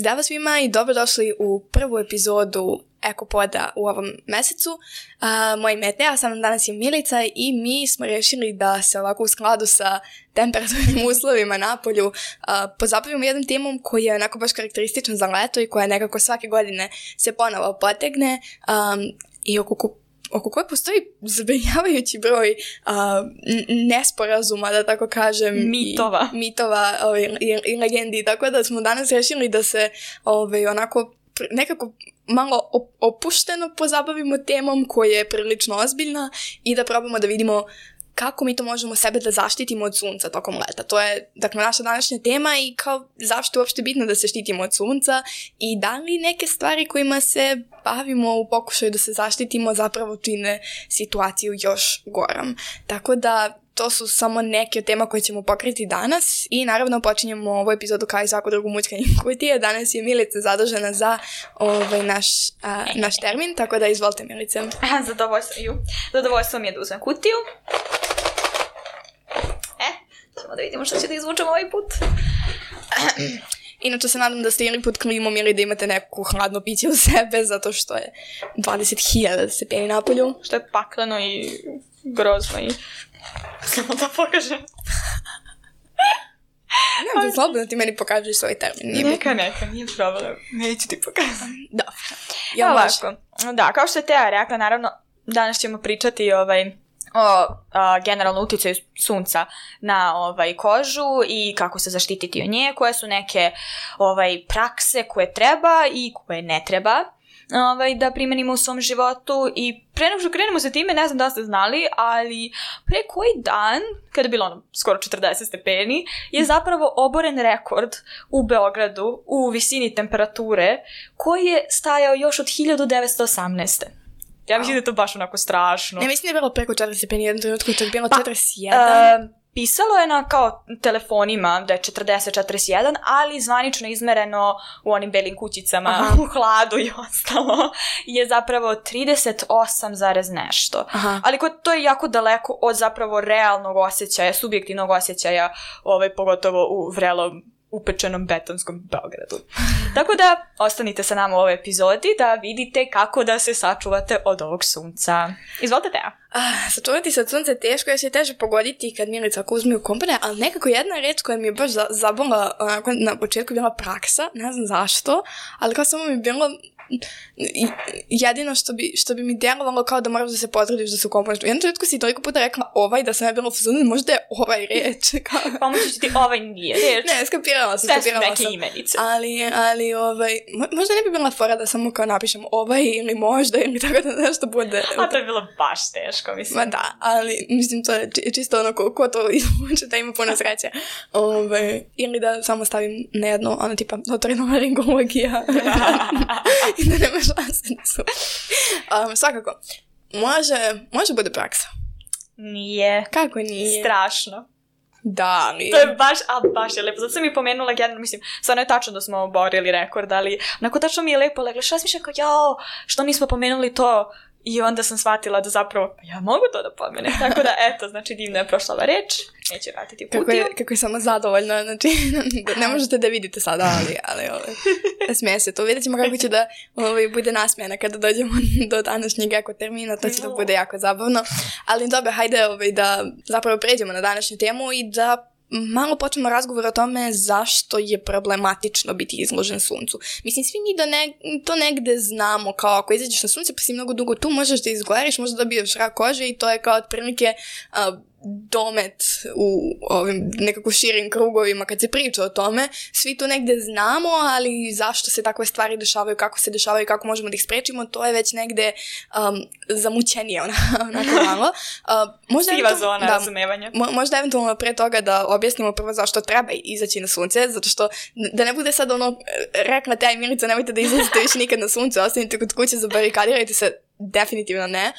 Zdravo svima i dobrodošli u prvu epizodu Ekopoda u ovom mesecu. Moje ime je Teja, sa mnom danas je Milica i mi smo rešili da se ovako u skladu sa temperaturnim uslovima na polju pozabavimo jednom temom koji je onako baš karakterističan za leto i koja nekako svake godine se ponovo potegne i oko koje postoji zabrinjavajući broj nesporazuma, da tako kažem, mitova i legendi, tako da smo danas rešili da se onako nekako malo opušteno pozabavimo temom koja je prilično ozbiljna i da probamo da vidimo kako mi to možemo sebe da zaštitimo od sunca tokom leta. To je, dakle, naša današnja tema i kao zašto je uopšte bitno da se štitimo od sunca i da li neke stvari kojima se bavimo u pokušaju da se zaštitimo zapravo čine situaciju još gorom. Tako da to su samo neke od tema koje ćemo pokriti danas i naravno počinjemo ovu epizodu kao i svaku drugu mućkanje kutije. Danas je Milica zadužena za naš termin, tako da izvolite, Milice. Zadovoljstvo mi je da uzmem kutiju. Ćemo da vidimo što će da izvučemo ovaj put. Inače se nadam da ste ili pod klimom ili da imate neku hladno piće u sebe zato što je 20.000 stepeni na polju. Što je pakleno i grozno i... Samo da pokažem. Ne, slobodno ti meni pokažeš svoj termin. Neka, nije problem. Neću ti pokazati. Dobro. Ovako. Da, kao što je Teja rekla, naravno, danas ćemo pričati o generalno utjecaju sunca na kožu i kako se zaštititi od nje, koje su neke prakse koje treba i koje ne treba da primenimo u svom životu. I pre nego što krenemo sa time, ne znam da ste znali, ali pre koji dan, kada je bilo skoro 40 stepeni, je zapravo oboren rekord u Beogradu u visini temperature koji je stajao još od 1918. Ja mislim da je to baš onako strašno. Ne, mislim da je bilo preko 40 stepeni, jednom trenutku je bilo 41. Pisalo je na kao telefonima da je 40-41, ali zvanično izmereno u onim belim kućicama, u hladu i ostalo, je zapravo 38, nešto. Ali to je jako daleko od zapravo realnog osjećaja, subjektivnog osjećaja, pogotovo u vrelom upečenom betonskom Beogradu. Tako da, ostanite sa nama u ovoj epizodi da vidite kako da se sačuvate od ovog sunca. Izvolite, Teja. Sačuvati se od sunca je teško, jer se je teže pogoditi kad Milica ako uzme u kompane, ali nekako jedna reč koja mi je baš zabola na početku bila praksa, ne znam zašto, ali kao samo mi je bilo jedino što bi mi djelovalo kao da moraš da se potrudiš da se ukomponeš. U jednom trenutku si toliko puta rekla da sam ja bila u fazonu, možda je reč. Pomoći ću ti nije reč. Ne, skapirala sam. Sve su neke imenice. Ali možda ne bi bila fora da samo kao napišem ili možda ili tako da nešto bude. A to je bilo baš teško, mislim. Ma da, ali mislim to je čisto ono ko to izvuče da ima puno sreće. Ili da samo stavim na jedno, tipa otorinolaringologija. I da nema šanse da su. Svakako, može bude praksa. Nije. Kako nije? Strašno. Da, ali... To je baš je lepo. Zato sam mi pomenula generalno, mislim, stvarno je tačno da smo oborili rekord, ali onako tačno mi je lepo legla. Šta smišljam kao, što nismo pomenuli to? I onda sam shvatila da zapravo, ja mogu to da pomenem. Tako da, eto, znači divno je prošla ova reč. Neće vratiti kutiju. Kako je samo zadovoljna, znači, ne možete da vidite sada, ali smije se to. Vidjet ćemo kako će da bude nasmijena kada dođemo do današnjeg termina, to će da bude jako zabavno. Ali dobro, hajde da zapravo pređemo na današnju temu i da malo počnemo razgovor o tome zašto je problematično biti izložen suncu. Mislim, svi mi to negde znamo, kao ako izađeš na sunce pa si mnogo dugo tu, možeš da izgoreš, možda dobiješ rak kože i to je kao otprilike domet u ovim nekako širim krugovima kad se priča o tome. Svi to negde znamo, ali zašto se takve stvari dešavaju, kako se dešavaju, kako možemo da ih sprečimo, to je već negde zamućenije onako malo. Siva zona razumevanja. Možda eventualno pre toga da objasnimo prvo zašto treba izaći na sunce, zato što da ne bude sad rekla Teja i Milica, nemojte da izlazite više nikad na sunce, ostanite kod kuće, zabarikadirajte se. Definitivno ne.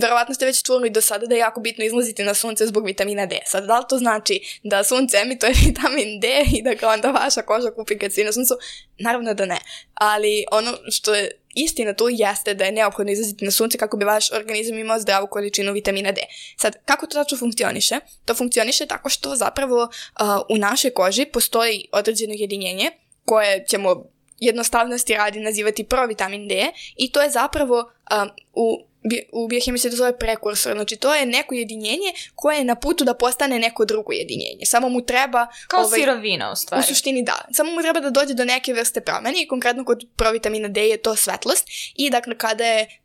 Verovatno ste već čuli do sada da je jako bitno izlaziti na sunce zbog vitamina D. Sad, da li to znači da sunce emituje vitamin D i da ga onda vaša koža kupi kad si na suncu? Naravno da ne. Ali ono što je istina tu jeste da je neophodno izlaziti na sunce kako bi vaš organizam imao zdravu količinu vitamina D. Sad, kako to tačno funkcioniše? To funkcioniše tako što zapravo u našoj koži postoji određeno jedinjenje koje ćemo jednostavnosti radi nazivati provitamin D i to je zapravo u biohemiji se to zove prekursor, znači to je neko jedinjenje koje je na putu da postane neko drugo jedinjenje. Samo mu treba... Kao sirovina u stvari. U suštini da. Samo mu treba da dođe do neke vrste promene i konkretno kod provitamina D je to svetlost i dakle kada je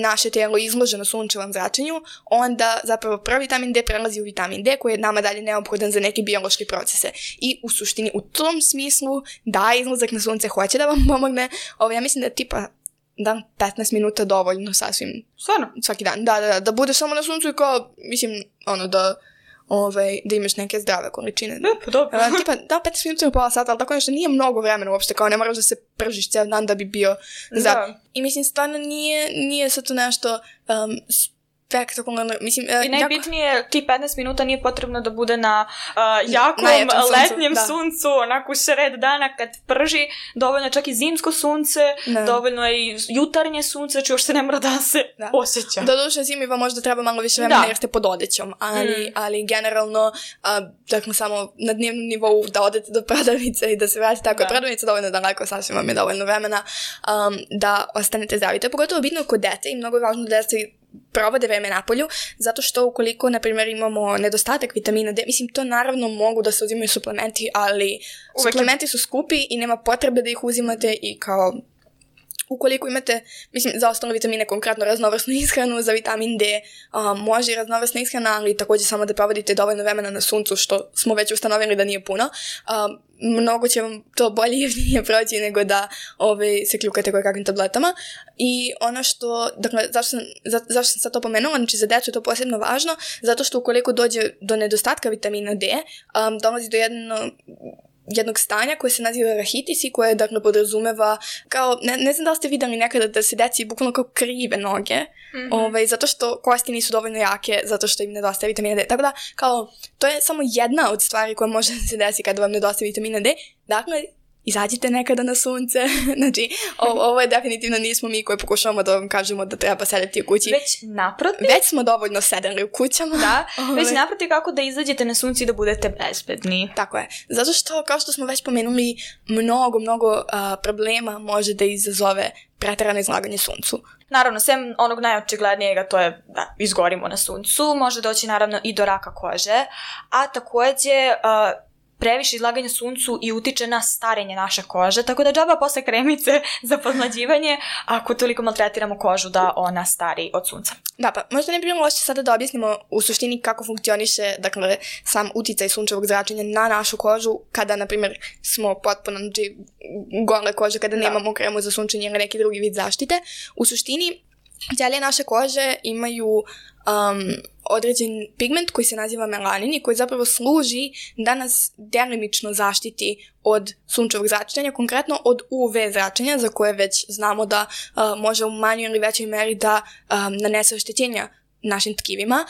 naše tijelo izloženo sunčevom zračenju, onda zapravo provitamin D prelazi u vitamin D koji je nama dalje neophodan za neke biološke procese. I u suštini u tom smislu da izlazak na sunce hoće da vam pomogne. Ja mislim da je tipa 15 minuta dovoljno sasvim. Stvarno? Svaki dan. Da budeš samo na suncu i kao, mislim, da imaš neke zdrave količine. Pa dobro. Tipa, 15 minuta i pola sata, ali tako nešto nije mnogo vremena uopšte, kao ne moraš da se pržiš cijel dan da bi bio zdrav. I mislim, stvarno nije sad to nešto spektakularno, mislim... I najbitnije, ti 15 minuta nije potrebno da bude na jakom letnjem suncu, onako sred dana kad prži, dovoljno je čak i zimsko sunce, dovoljno je i jutarnje sunce, znači još se ne mora da se osjeća. Doduše zimi vam možda treba malo više vremena jer ste pod odećom, ali generalno, dakle samo na dnevnom nivou da odete do prodavnice i da se vratite, tako je prodavnica dovoljno daleko, sasvim vam je dovoljno vremena da ostanete zdravi. To je pogotovo bitno kod dece i mnogo je važno da se provode vreme napolju, zato što ukoliko, na primjer, imamo nedostatak vitamina D, mislim, to naravno mogu da se uzimaju suplementi, ali suplementi su skupi i nema potrebe da ih uzimate i kao... Ukoliko imate, mislim, za ostale vitamine, konkretno raznovrsnu ishranu, za vitamin D može i raznovrsna ishrana, ali također samo da provodite dovoljno vremena na suncu, što smo već ustanovili da nije puno. Mnogo će vam to bolje i jeftinije proći nego da se kljukate kakvim tabletama. I ono što, dakle, zašto sam sad to pomenula, znači za djecu je to posebno važno, zato što ukoliko dođe do nedostatka vitamina D, dolazi do jednog stanja koje se naziva rahitis i koje, dakle, podrazumeva kao, ne znam da li ste vidjeli nekada da se deci bukvalno kao krive noge, zato što kosti nisu dovoljno jake, zato što im nedostaje vitamina D. Tako da, kao, to je samo jedna od stvari koja može da se desi kada vam nedostaje vitamina D. Dakle, izađite nekada na sunce. Znači, ovo je definitivno nismo mi koji pokušavamo da vam kažemo da treba sedeti u kući. Već naprotiv. Već smo dovoljno sedeli u kućama. Da, već naprotiv kako da izađete na sunce i da budete bezbedni. Tako je. Zato što, kao što smo već pomenuli, mnogo problema može da izazove preterano izlaganje suncu. Naravno, sem onog najočiglednijega, to je da izgorimo na suncu, može doći naravno i do raka kože, a također previše izlaganja suncu i utiče na starenje naše kože, tako da džaba posle kremice za podmlađivanje ako toliko maltretiramo kožu da ona stari od sunca. Da, pa možda ne bi bilo loše sada da objasnimo u suštini kako funkcioniše, dakle, sam uticaj sunčevog zračenja na našu kožu kada, na primjer, smo potpuno gole kože, kada nemamo kremu za sunčenje ili neki drugi vid zaštite. U suštini, ćelije naše kože imaju određen pigment koji se naziva melanin i koji zapravo služi da nas delimično zaštiti od sunčevog zračenja, konkretno od UV zračenja za koje već znamo da može u manjoj ili većoj meri da nanese oštećenja našim tkivima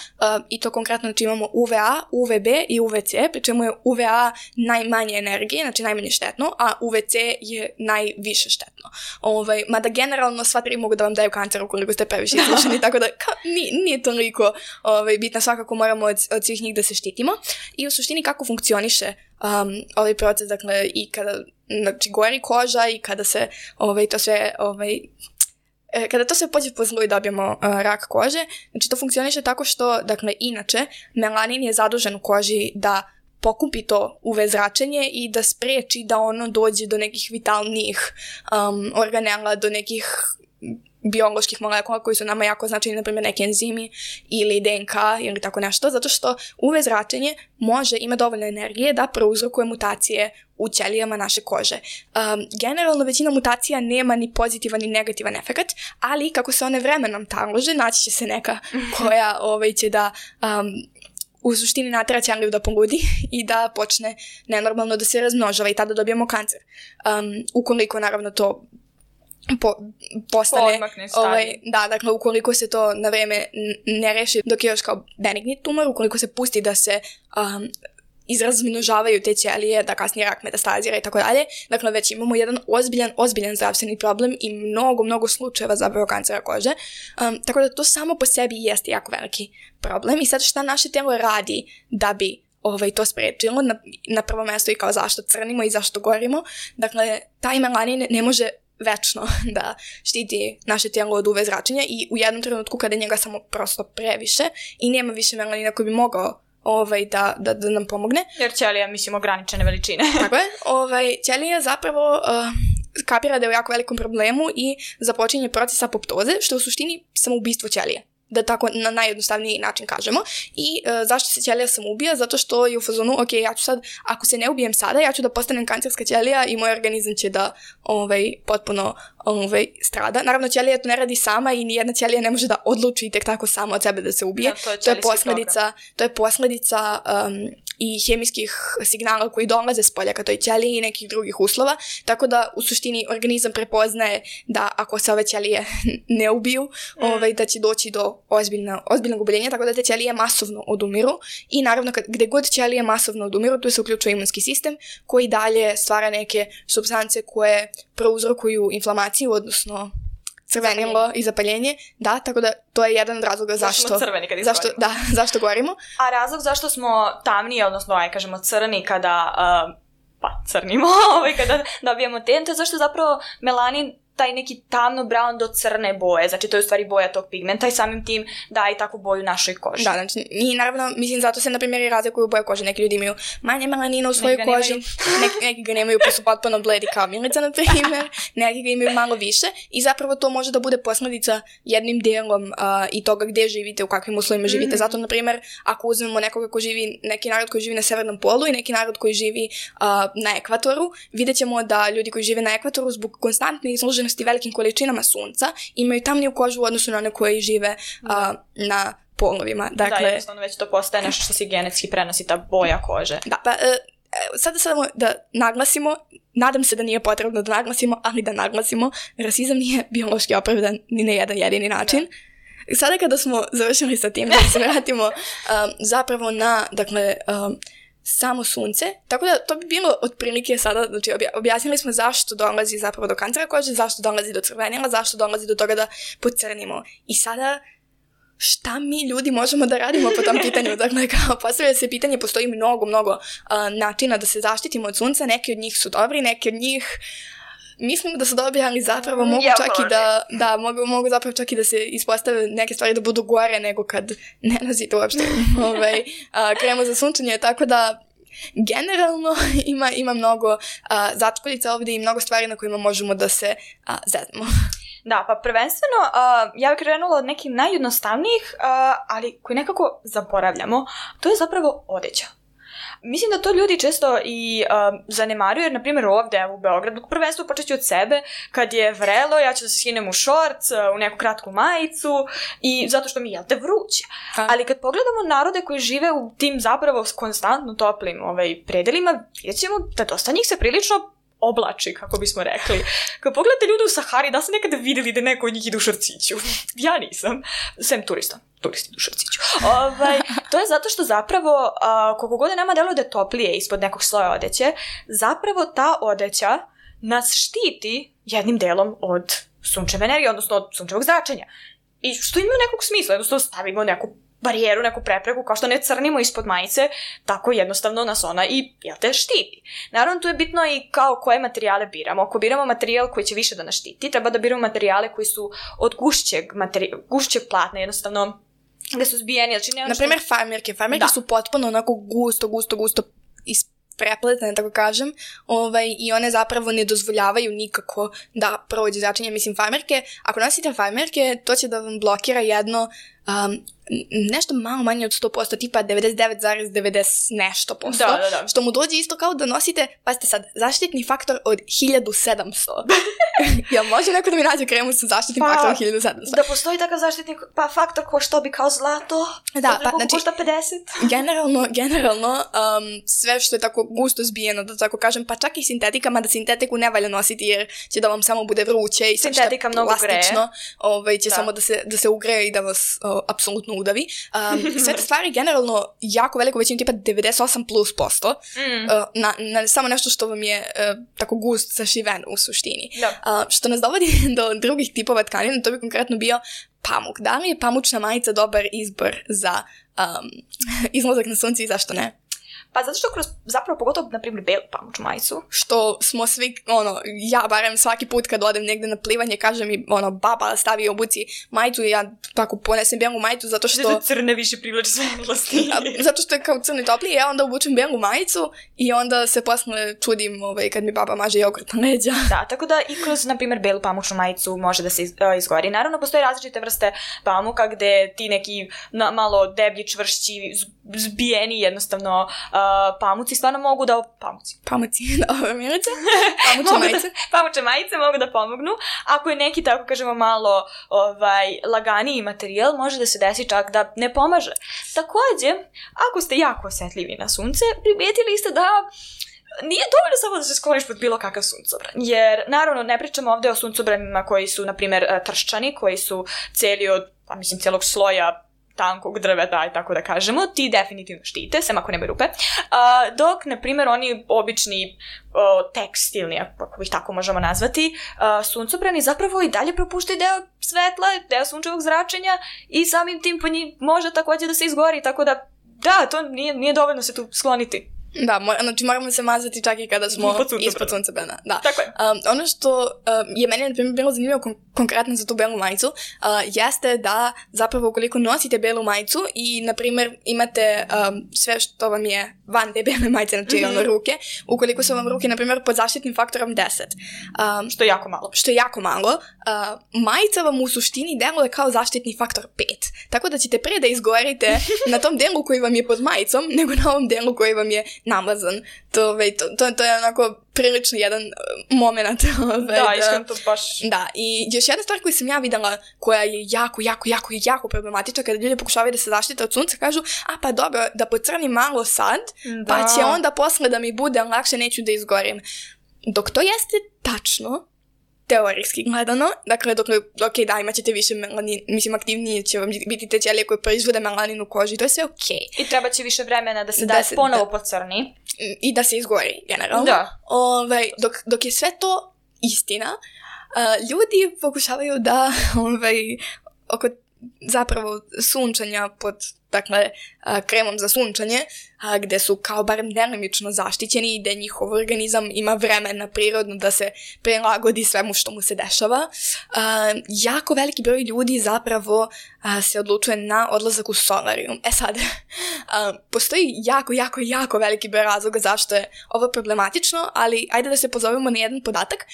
i to konkretno znači imamo UVA, UVB i UVC, pri čemu je UVA najmanje energije, znači najmanje štetno, a UVC je najviše štetno. Mada generalno sva tri mogu da vam daju kancer ukoliko ste previše izloženi, tako da nije toliko bitno, svakako moramo od svih njih da se štitimo. I u suštini kako funkcioniše ovaj proces, dakle, i kada gori koža i kada se to sve kada to sve pođe po zlu i dobijemo rak kože, znači to funkcioniše tako što, dakle, inače, melanin je zadužen u koži da pokupi to UV zračenje i da spreči da ono dođe do nekih vitalnijih organela, do nekih bioloških molekula koji su nama jako značajni, na primjer neki enzimi ili DNK ili tako nešto, zato što UV zračenje ima dovoljno energije da prouzrokuje mutacije u ćelijama naše kože. Generalno većina mutacija nema ni pozitivan ni negativan efekt, ali kako se one vremenom talože, naći će se neka koja će da u suštini natera ćeliju da poludi i da počne nenormalno da se razmnožava i tada dobijemo kancer. Ukoliko naravno to postane, dakle, ukoliko se to na vreme ne reši dok je još kao benigni tumor, ukoliko se pusti da se izrazmnožavaju te ćelije, da kasnije rak metastazira i tako dalje, dakle već imamo jedan ozbiljan zdravstveni problem i mnogo slučajeva zapravo kancera kože, tako da to samo po sebi jeste jako veliki problem. I sad šta naše tijelo radi da bi to sprečilo, na prvo mesto i kao zašto crnimo i zašto gorimo. Dakle, taj melanin ne može večno da štiti naše tijelo od UV zračenja i u jednom trenutku kada njega samo prosto previše i nema više melanina koji bi mogao da nam pomogne. Jer ćelija, mislim, ograničene veličine. Tako je. Ćelija zapravo kapira da je u jako velikom problemu i započinje proces apoptoze, što je u suštini samoubistvo ćelije. Da tako na najjednostavniji način kažemo. I zašto se ćelija samoubija? Zato što je u fazonu, ok, ja ću sad, ako se ne ubijem sada, ja ću da postanem kancerska ćelija i moj organizam će da potpuno strada. Naravno, ćelija to ne radi sama i nijedna ćelija ne može da odluči tek tako sama od sebe da se ubije. To je posljedica i hemijskih signala koji dolaze s polja ka toj ćeliji i nekih drugih uslova, tako da u suštini organizam prepoznaje da ako se ove ćelije ne ubiju, da će doći do ozbiljnog oboljenja, tako da te ćelije masovno odumiru i naravno gde god ćelije masovno odumiru, tu se uključuje imunski sistem koji dalje stvara neke supstance koje prouzrokuju inflamaciju, odnosno crvenilo i zapaljenje, da, tako da to je jedan od razloga zašto gorimo. A razlog zašto smo tamniji, odnosno kažemo crni kada crnimo, kada dobijemo ten, to je zašto zapravo melanin taj neki tamno-brown do crne boje, znači to je u stvari boja tog pigmenta i samim tim daje i takvu boju našoj koži. Da, znači, i naravno, mislim, zato se, na primjer, i razlikuju boje kože. Neki ljudi imaju manje melanina u svojoj koži, neki ga nemaju pa su potpuno bledi kao Milica, na primjer, neki ga imaju malo više i zapravo to može da bude posljedica jednim delom i toga gde živite, u kakvim uslovima živite. Zato, na primjer, ako uzmemo nekoga ko živi, neki narod koji živi na severnom polu i neki narod koji živi na ekvatoru, vidjet ćemo da ljudi koji žive na ekvatoru zbog konstantne izloženosti velikim količinama sunca imaju tamniju kožu u odnosu na one koji žive na polovima. Dakle, da, jednostavno već to postaje nešto što se genetski prenosi, ta boja kože. Da, pa sada samo da naglasimo, nadam se da nije potrebno da naglasimo, ali da naglasimo, rasizam nije biološki opravdan ni na jedan jedini način. Da. Sada kada smo završili sa tim, da se vratimo zapravo na, dakle, samo sunce, tako da to bi bilo otprilike sada, znači objasnili smo zašto dolazi zapravo do kancera kože, zašto dolazi do crvenila, zašto dolazi do toga da pocrnimo. I sada, šta mi ljudi možemo da radimo po tom pitanju? Dakle, kao postavlja se pitanje, postoji mnogo načina da se zaštitimo od sunca, neki od njih su dobri, neki od njih mislim da su dobri, ali zapravo mogu čak i mogu zapravo čak i da se ispostave neke stvari da budu gore nego kad ne nosite uopšte kremu za sunčanje, tako da generalno ima mnogo začkoljica ovdje i mnogo stvari na kojima možemo da se zeznemo. Da, pa prvenstveno ja bih krenula od nekih najjednostavnijih, ali koji nekako zaboravljamo, to je zapravo odeća. Mislim da to ljudi često i zanemaruju, jer na primjer ovdje u Beogradu, prvenstvo počet ću od sebe, kad je vrelo, ja ću da se skinem u šorc, u neku kratku majicu i zato što mi je vruće. Ali kad pogledamo narode koji žive u tim zapravo konstantno toplim predelima, vidjet ćemo da dosta njih se prilično oblači, kako bismo rekli. Kad pogledate ljude u Sahari, da ste nekada vidjeli da neko od njih ide u šorciću? Ja nisam. Sem turisti idu u šorciću. To je zato što zapravo, koliko god nama deluje da je toplije ispod nekog sloja odeće, zapravo ta odeća nas štiti jednim delom od sunčeve energije, odnosno od sunčevog zračenja. I što ima nekog smisla, jednostavno stavimo neku barijeru, neku prepreku, kao što ne crnimo ispod majice, tako jednostavno nas ona i, štiti. Naravno, tu je bitno i kao koje materijale biramo. Ako biramo materijal koji će više da nas štiti, treba da biramo materijale koji su od gušćeg platna, jednostavno gde su zbijeni. Naprimjer, farmerke. Farmerke su potpuno onako gusto prepletene, tako kažem, i one zapravo ne dozvoljavaju nikako da prođe zračenje. Mislim, farmerke, ako nosite farmerke, to će da vam blokira jedno nešto malo manje od 100%, tipa 99,90 nešto posto, što mu dođe isto kao da nosite, pazite sad, zaštitni faktor od 1700. Jel može neko da mi nađe kremu sa zaštitnim faktorom 1700? Da postoji takav zaštitni faktor ko što bi kao zlato? Da, pa znači, košta 50? Generalno, sve što je tako gusto zbijeno, da tako kažem, pa čak i sintetika, mada sintetiku ne valja nositi jer će da vam samo bude vruće i sve što je plastično, će samo da se ugreje i da vas apsolutno udavi. Sve te stvari generalno jako veliko većinu, tipa 98+%, na samo nešto što vam je tako gust sašiveno u suštini. Što nas dovodi do drugih tipova tkanina, to bi konkretno bio pamuk. Da li je pamučna majica dobar izbor za izlazak na sunce i zašto ne? Pa zato što kroz, zapravo pogotovo, na primjer, belu pamučnu majicu. Što smo svi, ja barem svaki put kad odem negde na plivanje, kaže mi, baba stavi obuci majicu i ja tako ponesem belu majicu zato što... Zato crne više privlači svetlosti. Zato što je kao crni topliji, ja onda obučem belu majicu i onda se posle čudim kad mi baba maže jogurt na leđa. Da, tako da i kroz, na primjer, belu pamučnu majicu može da se izgori. Naravno, postoje različite vrste pamuka gde ti neki malo deblji, čvršći, zbijeni jednostavno pamuci stvarno mogu da... Pamuci, dobro, Milice. Pamuče majice. Pamuče majice mogu da pomognu. Ako je neki, tako kažemo, malo laganiji materijal, može da se desi čak da ne pomaže. Takođe, ako ste jako osjetljivi na sunce, primijetili ste da nije dovoljno samo da se skloniš pod bilo kakav suncobran. Jer, naravno, ne pričamo ovde o suncobranima koji su, na primjer, trščani, koji su celi od, celog sloja tankog drveta, i tako da kažemo, ti definitivno štite, sem ako nemaju rupe. Dok, na primjer, oni obični tekstilni, ako ih tako možemo nazvati, suncobrani zapravo i dalje propuštaju deo svetla, deo sunčevog zračenja i samim tim po njih može također da se izgori, tako da, to nije dovoljno se tu skloniti. Da, znači moramo se mazati čak i kada smo ispod suncobrana. Da. Tako je. Ono što je meni, na primjer, bilo zanimljivo konkretno za tu belu majicu, jeste da zapravo ukoliko nosite belu majicu i, na primjer, imate sve što vam je van te bele majice, znači ruke, ukoliko su vam ruke, na primjer, pod zaštitnim faktorom 10. Što je jako malo. Što je jako malo. Majica vam u suštini deluje kao zaštitni faktor 5. Tako da ćete pre da izgorite na tom delu koji vam je pod majicom, nego na ovom delu koji vam je namazan. To je onako prilično jedan moment. Da, iskreno to baš... Da, i još jedna stvar koju sam ja videla, koja je jako problematična, kada ljudi pokušavaju da se zaštite od sunca, kažu, pa dobro, da pocrnim malo sad, pa će onda posle da mi bude lakše, neću da izgorim. Dok to jeste tačno, teorijski gledano, dakle, da, imat ćete više melanin, mislim, aktivnije će vam biti te ćelije koje proizvode melanin u koži, to je sve okej. I treba će više vremena da se ponovo pocrni. I da se izgori, generalno. Da. Dok je sve to istina, ljudi pokušavaju da, oko zapravo sunčanja pod, dakle, kremom za sunčanje, gde su kao barem delimično zaštićeni i gde njihov organizam ima vremena prirodno da se prilagodi svemu što mu se dešava. Jako veliki broj ljudi zapravo se odlučuje na odlazak u solarijum. Sad, postoji jako veliki broj razloga zašto je ovo problematično, ali ajde da se pozovemo na jedan podatak.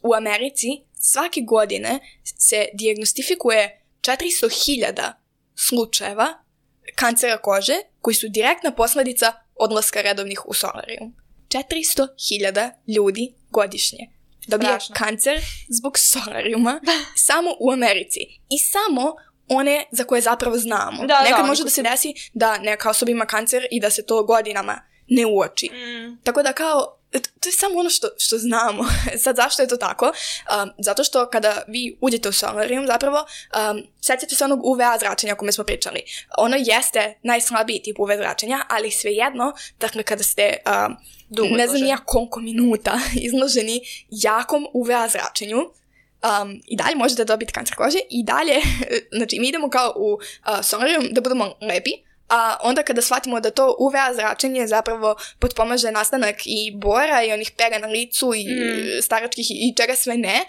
U Americi svake godine se dijagnostifikuje 400.000 slučajeva kancera kože koji su direktna posledica odlaska redovnih u solarijum. 400.000 ljudi godišnje dobije kancer zbog solarijuma samo u Americi. I samo one za koje zapravo znamo. Nekad može da se desi da neka osoba ima kancer i da se to godinama ne uoči. Tako da kao to je samo ono što znamo. Sad, zašto je to tako? Zato što kada vi uđete u solarijum, zapravo, sjećate se onog UVA zračenja o kome smo pričali. Ono jeste najslabiji tip UV zračenja, ali svejedno, dakle, kada ste ne znam ja koliko minuta izloženi jakom UVA zračenju, i dalje možete dobiti kancer kože i dalje, znači mi idemo kao u solarijum da budemo lepi, a onda kada shvatimo da to UVA zračenje zapravo potpomaže nastanak i bora i onih pega na licu i staračkih i čega sve ne,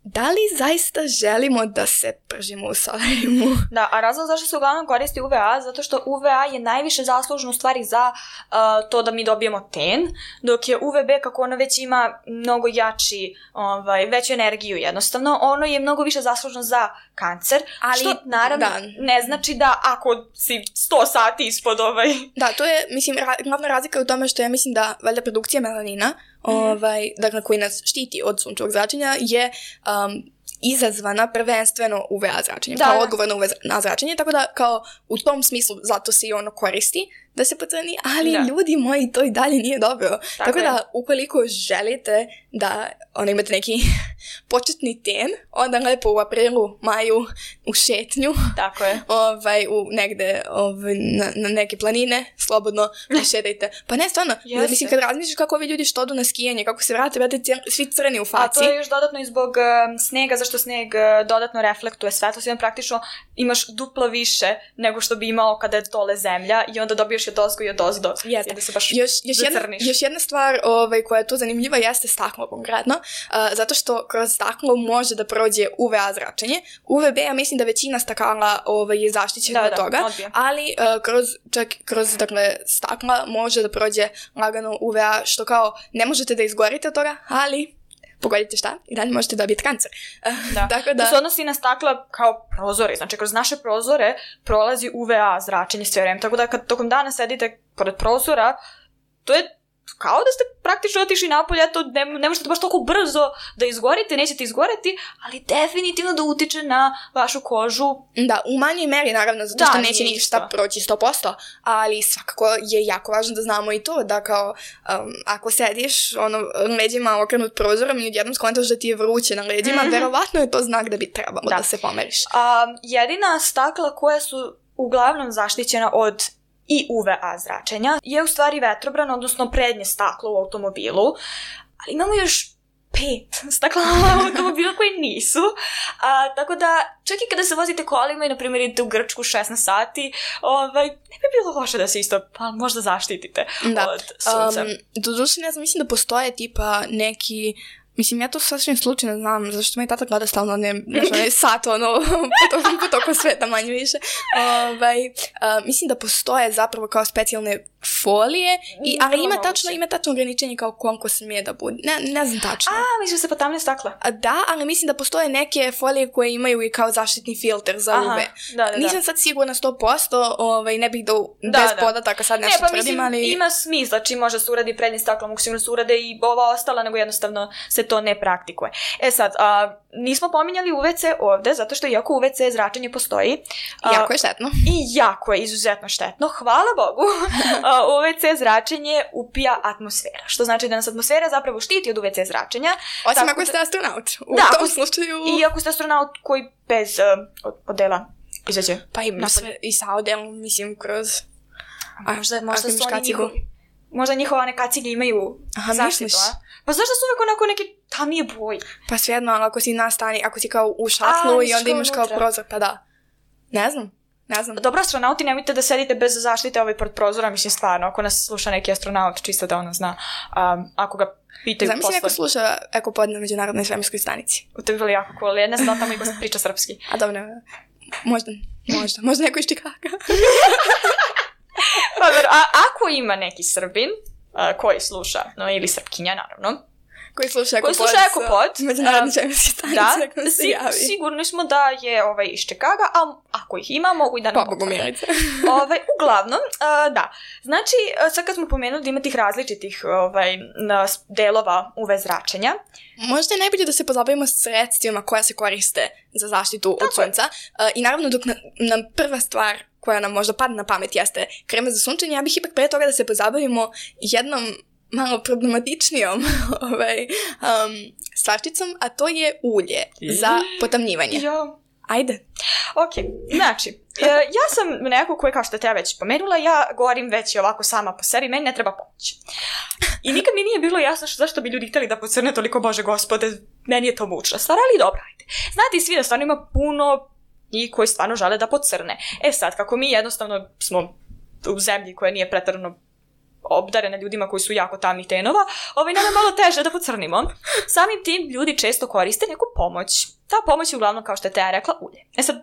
da li zaista želimo da se pržimo u solarijumu? Da, a razlog zašto se uglavnom koristi UVA, zato što UVA je najviše zaslužno u stvari za to da mi dobijemo ten, dok je UVB, kako ono već ima mnogo jači, veću energiju jednostavno, ono je mnogo više zaslužno za kancer, ali, što naravno ne znači da ako si 100 sati ispod Da, to je, mislim, glavna razlika u tome što ja mislim da valjda produkcija melanina, dakle, koji nas štiti od sunčevog zračenja, je izazvana prvenstveno UVA zračenjem, kao odgovor na UVA zračenje, tako da kao u tom smislu zato se i ono koristi da se pocrni, ali ljudi moji, to i dalje nije dobro. Tako da, ukoliko želite da imate neki početni ten, onda lepo u aprilu, maju, u šetnju, tako je. Negde na neke planine, slobodno šetajte. Pa ne, stvarno, mislim, kad razmišljaš kako ovi ljudi što odu na skijanje, kako se vrate svi crni u faci. A to je još dodatno i zbog snega, zašto sneg dodatno reflektuje svetlost, i praktično imaš duplo više nego što bi imao kada je dole zemlja i onda dobiješ pališ od ozgo i od ozdo. Jeste. I da se baš Još jedna stvar koja je tu zanimljiva jeste staklo konkretno, zato što kroz staklo može da prođe UVA zračenje. UVB, ja mislim da većina stakala je zaštićena od toga, ali kroz dakle, stakla može da prođe lagano UVA, što kao ne možete da izgorite od toga, ali pogodite šta, i dalje možete dobiti kancer. Tako da se odnosi na stakla kao prozore, znači kroz naše prozore prolazi UVA zračenje sve vreme, tako da kad tokom dana sedite pored prozora, to je kao da ste praktično otišli napolje, to ne možete baš toliko brzo da izgorite, nećete izgoreti, ali definitivno da utiče na vašu kožu. Da, u manjoj meri naravno, zato što neće ništa proći 100%, ali svakako je jako važno da znamo i to, da kao ako sediš leđima okrenut prozorom i odjednom skontaš da ti je vruće na leđima, verovatno je to znak da bi trebalo da se pomeriš. Jedina stakla koja su uglavnom zaštićena od i UVA zračenja je u stvari vetrobran, odnosno prednje staklo u automobilu, ali imamo još 5 stakla u automobilu koji nisu, tako da čak i kada se vozite kolima i na primjer idete u Grčku 16 sati, ne bi bilo loše da se isto možda zaštitite od sunca. Doduše ne znam, mislim da postoje tipa neki. Mislim, ja to sasvim slučajno znam, zašto me tata gleda stalno, sat, po toku sveta, manje više. Mislim da postoje zapravo kao specijalne folije, ali ima tačno ograničenje kao koliko smije da bude. Ne znam tačno. Mislim se potamne stakla. Da, ali mislim da postoje neke folije koje imaju i kao zaštitni filter za UV. Nisam sad sigurna 100%, ne bih bez podataka sad nešto tvrdim, ali ima smisla, čim može se uradi prednje staklo, mogu sigurno se urade i ova ostala, nego jednostavno se to ne praktikuje. Sad, nismo pominjali UVC ovde, zato što iako UVC zračenje postoji, jako je štetno. I jako je izuzetno štetno. Hvala Bogu, UVC zračenje upija atmosfera. Što znači da nas atmosfera zapravo štiti od UVC zračenja. Osim ako ste astronaut. U tom slučaju. I ako ste astronaut koji bez odela izađe. Pa i sa odelom, mislim, kroz. Možda su oni njihovi. Možda njihova neka cilje imaju zaštitu, Pa zašto su uvijek onako neki tamnije boji? Pa svejedno, ako si ako si kao u šatlu i onda imaš kao prozor, pa da. Ne znam. Dobro, astronauti, nemojte da sedite bez zaštite pred prozora, mislim stvarno, ako nas sluša neki astronaut, čisto da ono zna, ako ga pitaju posle. Znam si neko sluša Ekopod na Međunarodnoj svemirskoj stanici. To je bilo jako cool, ja ne znam da tamo neko priča srpski. Dobro, možda neko iz Čikaga. Ako ima neki Srbin koji sluša, ili Srpkinja naravno, koji sluša Ekopod, Međunarodne svemirske stanice, sigurni smo da je iz Čikaga, a ako ih ima, mogu i da nam potvrde. Uglavnom, da. Znači, sad kad smo pomenuli da ima tih različitih delova UV zračenja, možda je najbolje da se pozabavimo sredstvima koja se koriste za zaštitu od sunca. I naravno, dok nam prva stvar koja nam možda padne na pamet jeste krema za sunčanje, ja bih ipak pre toga da se pozabavimo jednom malo problematičnijom stvarčicom, a to je ulje za potamnjivanje. Ajde. Ok, znači, ja sam neko koji, kao što te ja već pomenula, ja govorim već i ovako sama po sebi, meni ne treba pomoć. I nikad mi nije bilo jasno zašto bi ljudi htjeli da pocrne toliko, Bože Gospode, meni je to mučna stvar, ali dobro, ajde. Znate i svi da stvarno ima puno i koji stvarno žele da pocrne. Sad, kako mi jednostavno smo u zemlji koja nije pretarano obdarena ljudima koji su jako tamnih tenova, nam je malo teže da pocrnimo. Samim tim ljudi često koriste neku pomoć. Ta pomoć je uglavnom, kao što je Teja rekla, ulje. Sad,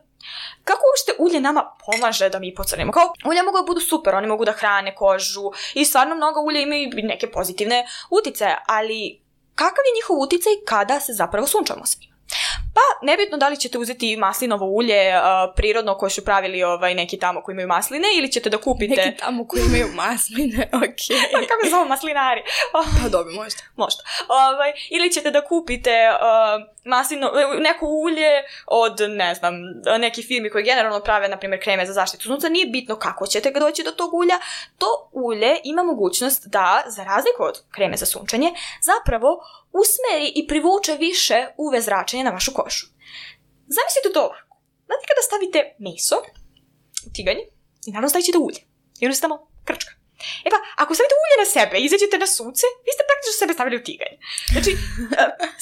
kako uopšte ulje nama pomaže da mi pocrnimo? Kao, ulja mogu da budu super, oni mogu da hrane kožu i stvarno mnogo ulja imaju neke pozitivne uticaje, ali kakav je njihov uticaj kada se zapravo sunčamo sa njima? Pa, nebitno da li ćete uzeti maslinovo ulje prirodno koje su pravili neki tamo koji imaju masline, ili ćete da kupite... Neki tamo koji imaju masline, okej. Kako se zove maslinari? Pa dobro, možda. Možda. Ili ćete da kupite neko ulje od, ne znam, neki firmi koji generalno prave, na primjer, kreme za zaštitu sunca. Nije bitno kako ćete ga doći do tog ulja. To ulje ima mogućnost da, za razliku od kreme za sunčanje, zapravo usmeri i privuče više UV zračenja na vašu kožu. Zamislite to ovako. Znate kada stavite meso u tiganj i naravno stavite ulje. I ono se tamo krčka. Pa, ako stavite ulje na sebe i izađete na sunce, vi ste praktično sebe stavili u tiganj. Znači,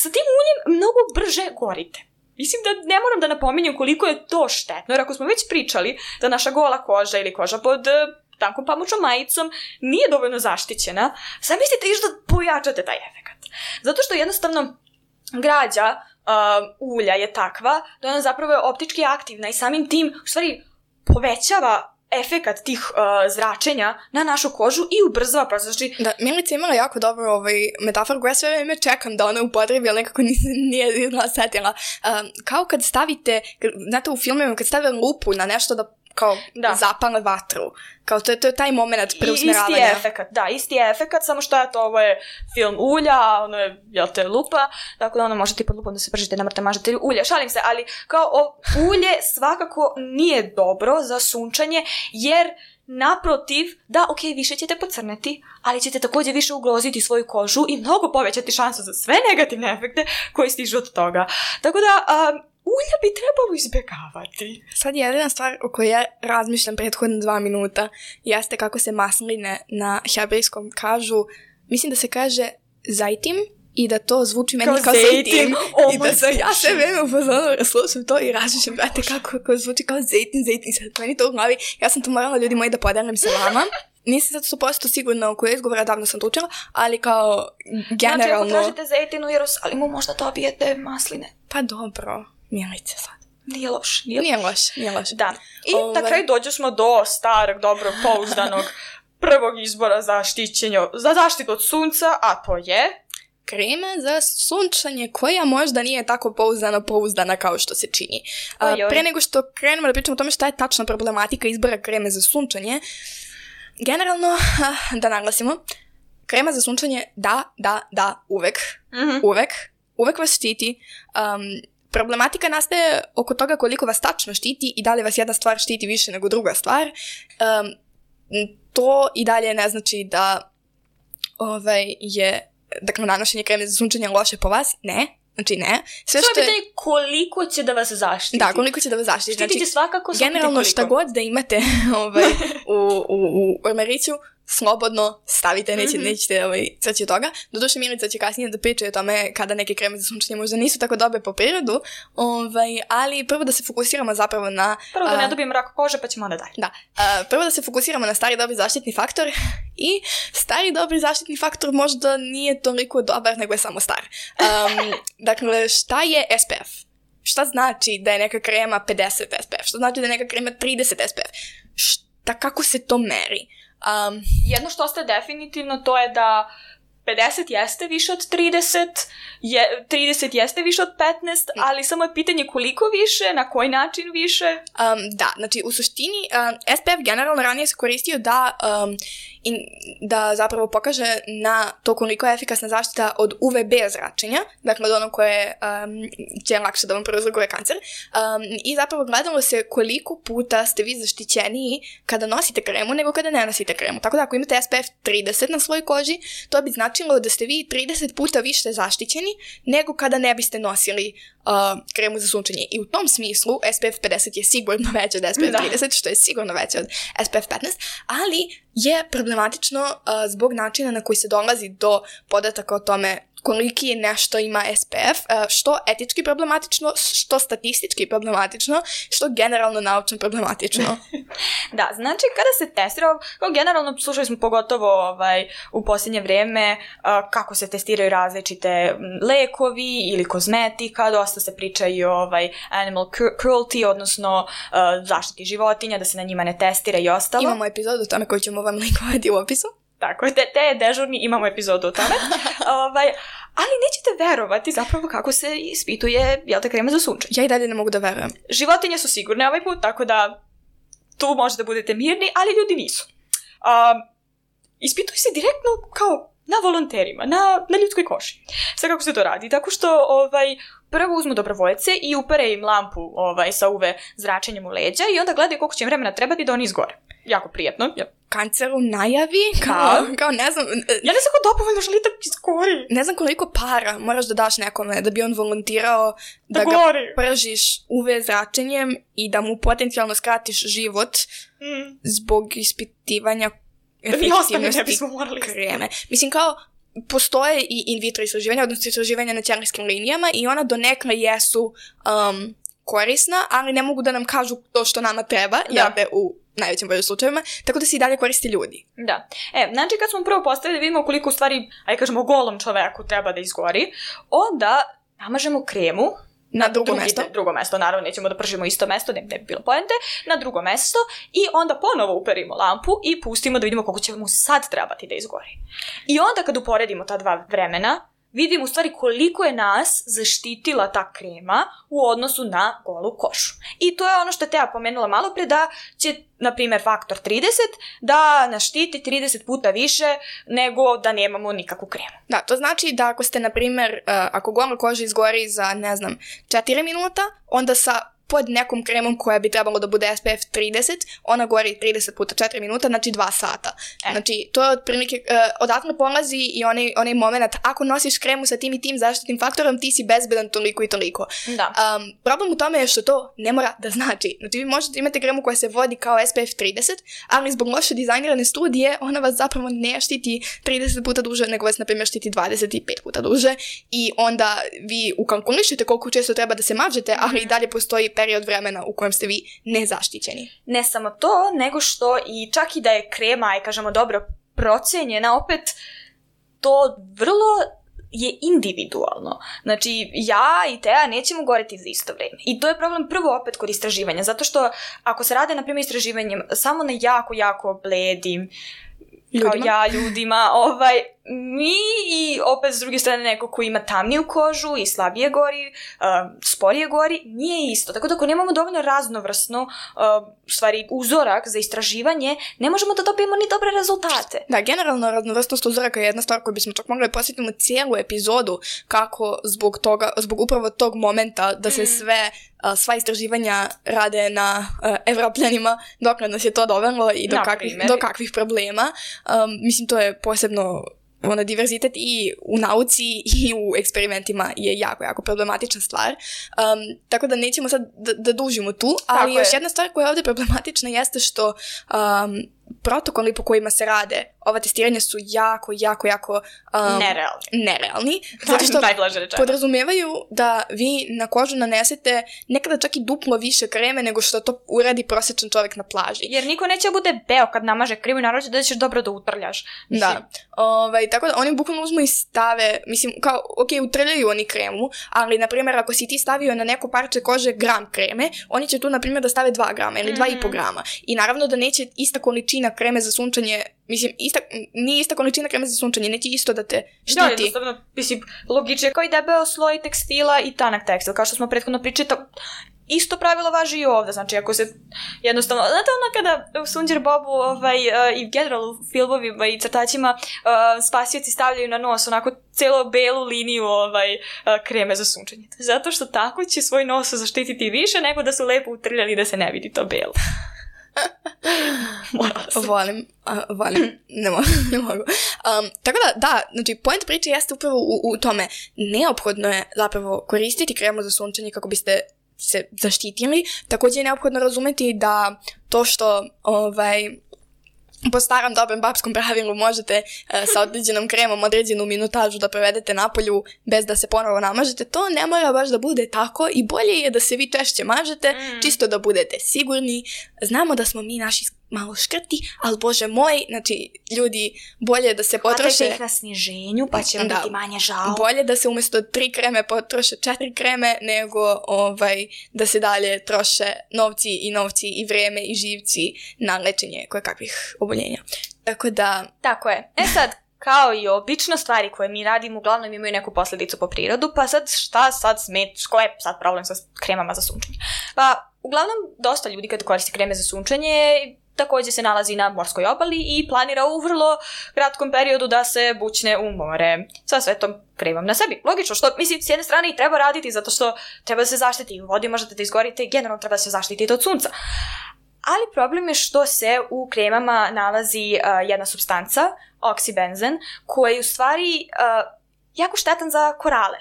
sa tim uljem mnogo brže gorite. Mislim da ne moram da napominjem koliko je to štetno, jer ako smo već pričali da naša gola koža ili koža pod tankom pamučnom majicom nije dovoljno zaštićena, zamislite još da pojačate taj efekat. Zato što jednostavno građa ulja je takva da ona zapravo je optički aktivna i samim tim u stvari povećava efekat tih zračenja na našu kožu i ubrzava proces. Znači... Da, Milica imala jako dobro metaforu koja sve vreme čekam da ona upotrebi, ali nekako nije setila. Kao kad stavite, znate u filmima, kad stave lupu na nešto da kao zapale vatru. Kao to je taj moment preusmeravanja. Isti je efekat, isti je efekat, samo što ovo je film ulja, ono je, jel te, lupa, tako da ono možete pod lupom da se pržite na mrtav mažatelju ulja, šalim se, ali kao ulje svakako nije dobro za sunčanje, jer naprotiv, više ćete pocrneti, ali ćete također više ugroziti svoju kožu i mnogo povećati šansu za sve negativne efekte koji stižu od toga. Tako da, ulja bi trebalo izbjegavati. Sad jedina stvar o kojoj ja razmišljam prethodne 2 minuta jeste kako se masline na hebrejskom kažu, mislim da se kaže zajtim i da to zvuči meni kao zejtin. I da sam ja sve vreme upozorila, slušam to i razmišljam, brate, kako zvuči kao zejtin. Sad meni to u glavi, ja sam to morala, ljudi moji, da podelim se vama. Nisam sad 100% sigurna u kojoj izgovora, davno sam to učila, ali kao generalno... Znači, ako tražite zejtin u Jerusalimu, možda dobijete masline. Pa dobro. Milice sad. Nije loš. Da. I na kraju dođu smo do starog, dobrog, pouzdanog prvog izbora za zaštitu od sunca, a to je... krema za sunčanje koja možda nije tako pouzdana kao što se čini. Pre nego što krenemo da pričamo o tome šta je tačna problematika izbora kreme za sunčanje, generalno, da naglasimo, krema za sunčanje uvek. Mm-hmm. Uvek vas štiti. Problematika nastaje oko toga koliko vas tačno štiti i da li vas jedna stvar štiti više nego druga stvar. To i dalje ne znači da je nanošenje kreme za sunčanje loše po vas. Ne. Znači ne. Sve što je pitanje koliko će da vas zaštiti. Da, koliko će da vas zaštiti. Štiti će svakako. Generalno šta god da imate u ormariću, slobodno stavite, nećete crći od toga. Doduše Milica će kasnije da priča o tome kada neke kreme za sunčanje možda nisu tako dobre po prirodu, ali prvo da se fokusiramo zapravo na... Prvo da ne dobijem rak kože pa ćemo onda dalje. Da, prvo da se fokusiramo na stari dobri zaštitni faktor i stari dobri zaštitni faktor možda nije toliko dobar nego je samo star. Dakle, šta je SPF? Šta znači da je neka krema 50 SPF? Šta znači da je neka krema 30 SPF? Kako se to meri? Jedno što ostaje definitivno to je da 50 jeste više od 30, 30 jeste više od 15, ali samo je pitanje koliko više, na koji način više. Da, znači u suštini SPF generalno ranije se koristio da zapravo pokaže na to koliko je efikasna zaštita od UVB zračenja, dakle od ono koje će lakše da vam prouzrokuje kancer. I zapravo gledalo se koliko puta ste vi zaštićeniji kada nosite kremu nego kada ne nosite kremu. Tako da ako imate SPF 30 na svojoj koži, to bi značilo da ste vi 30 puta više zaštićeni nego kada ne biste nosili kremu za sunčanje. I u tom smislu SPF 50 je sigurno veće od SPF 30, što je sigurno veće od SPF 15, ali je problematično zbog načina na koji se dolazi do podataka o tome koliki je nešto ima SPF, što etički problematično, što statistički problematično, što generalno naučno problematično. Da, znači kada se testira, kao generalno slušali smo pogotovo u posljednje vrijeme kako se testiraju različite lekovi ili kozmetika, dosta se priča i o animal cruelty, odnosno zaštiti životinja, da se na njima ne testira i ostalo. Imamo epizodu o tome koju ćemo vam linkovati u opisu. Tako, te dežurni imamo epizodu o tome. Ali nećete verovati zapravo kako se ispituje krema za sunčanje. Ja i dalje ne mogu da verujem. Životinje su sigurne ovaj put, tako da tu možete budete mirni, ali ljudi nisu. Ispituje se direktno kao na volonterima, na ljudskoj koži. Sve kako se to radi. Tako što prvo uzmu dobrovoljce i upere im lampu sa UV zračenjem u leđa i onda gledaju koliko će im vremena trebati da oni izgore. Jako prijetno. Ja. Kancer u najavi, kao ne znam... Ja ne znam ko dopovoljno želite izgori. Ne znam koliko para moraš da daš nekome da bi on volontirao da ga pržiš UV zračenjem i da mu potencijalno skratiš život zbog ispitivanja efektivnosti kreme. Mislim, kao postoje i in vitro istraživanja, odnosno istraživanja na ćelijskim linijama i ona donekle jesu korisna, ali ne mogu da nam kažu to što nama treba, u najvećem broju slučajevima, tako da se i dalje koristi ljudi. Da. Znači kad smo prvo postavili, vidimo koliko u stvari, ajde kažemo, golom čoveku treba da izgori, onda namažemo kremu na drugo mesto, naravno nećemo da pržimo isto mesto, ne bi bilo poente, na drugo mesto i onda ponovo uperimo lampu i pustimo da vidimo koliko će mu sad trebati da izgori. I onda kad uporedimo ta dva vremena, vidimo u stvari koliko je nas zaštitila ta krema u odnosu na golu kožu. I to je ono što je Teja pomenula malo pre, da će, na primjer, faktor 30 da nas štiti 30 puta više nego da nemamo nikakvu kremu. Da, to znači da ako ste, na primjer, ako gola koža izgori za, 4 minuta, onda pod nekom kremom koja bi trebalo da bude SPF 30, ona gori 30 puta 4 minuta, znači 2 sata. Znači, to je otprilike, odatle polazi i onaj moment, ako nosiš kremu sa tim i tim zaštitnim faktorom, ti si bezbedan toliko i toliko. Da. Problem u tome je što to ne mora da znači. Znači, vi možete imati kremu koja se vodi kao SPF 30, ali zbog loše dizajnirane studije, ona vas zapravo ne štiti 30 puta duže, nego vas, na primjer, štiti 25 puta duže i onda vi ukalkulišete koliko često treba da se mažete, ali i dalje postoji period vremena u kojem ste vi nezaštićeni. Ne samo to, nego što i čak i da je krema, kažemo, dobro procenjena, opet to vrlo je individualno. Znači, ja i Teja nećemo goreti za isto vreme. I to je problem prvo opet kod istraživanja, zato što ako se rade, na primjer, istraživanjem samo na jako, jako bledim ljudima, mi i opet s druge strane neko ko ima tamniju kožu i slabije gori, sporije gori, nije isto. Tako da ako nemamo dovoljno raznovrsno stvari uzorak za istraživanje, ne možemo da dobijemo ni dobre rezultate. Da, generalno raznovrsnost uzoraka je jedna stvar koju bismo čak mogli posjetiti cijelu epizodu kako zbog upravo tog momenta da se sva istraživanja rade na Evropljanima, dok nas je to dovelo i do kakvih problema. Mislim, to je posebno diverzitet i u nauci i u eksperimentima je jako, jako problematična stvar. Tako da nećemo sad da dužimo tu, ali još jedna stvar koja je ovdje problematična jeste što protokoli po kojima se rade ova testiranja su jako nerealni. Zato što podrazumevaju da vi na kožu nanesete nekada čak i duplo više kreme nego što to uradi prosječan čovjek na plaži. Jer niko neće bude beo kad namaže kremu i naravno da ćeš dobro da utrljaš. Da. Tako da oni bukvalno uzmu i stave, mislim, kao, utrljaju oni kremu, ali, na primjer, ako si ti stavio na neko parče kože gram kreme, oni će tu, na primjer, da stave 2 grama ili 2,5 grama. I naravno da neće ista količina kreme za sunčanje, mislim, nije ista količina kreme za sunčanje, neće isto da te štiti. Da, jednostavno, mislim, logično kao i debeo sloj tekstila i tanak tekstil, kao što smo prethodno pričali, isto pravilo važi i ovdje, znači ako se jednostavno, znate ono kada u Sunđer Bobu i generalno u filmovima i crtačima spasioci stavljaju na nos onako celo belu liniju kreme za sunčanje. Zato što tako će svoj nos zaštititi više nego da su lepo utrljali da se ne vidi to belo. Volim, ne mogu. Tako da, znači, point priče jeste upravo u tome. Neophodno je zapravo koristiti kremu za sunčanje kako biste se zaštitili. Također je neophodno razumjeti da to što po starom dobrom babskom pravilu možete sa određenom kremom određenu minutažu da provedete napolju bez da se ponovo namažete, to ne mora baš da bude tako i bolje je da se vi češće mažete, čisto da budete sigurni. Znamo da smo mi naši malo škrti, ali bože moj, znači ljudi, bolje da se potroše... Hvatajte ih na sniženju, pa će vam biti manje žao. Bolje da se umjesto 3 kreme potroše 4 kreme, nego da se dalje troše novci i vreme i živci na lečenje kojekakvih oboljenja. Tako da... Tako je. Sad, kao i obično stvari koje mi radimo, uglavnom imaju neku posljedicu po prirodu, pa sad šta sad ko je sad problem sa kremama za sunčanje? Pa, uglavnom, dosta ljudi kad koristi kreme za sunčanje također se nalazi na morskoj obali i planira u vrlo kratkom periodu da se bućne u more sa svetom kremom na sebi. Logično, što mislim s jedne strane i treba raditi zato što treba da se zaštiti u vodi, možete da izgorite i generalno treba da se zaštititi od sunca. Ali problem je što se u kremama nalazi jedna supstanca, oksibenzen, koja je u stvari jako štetan za korale.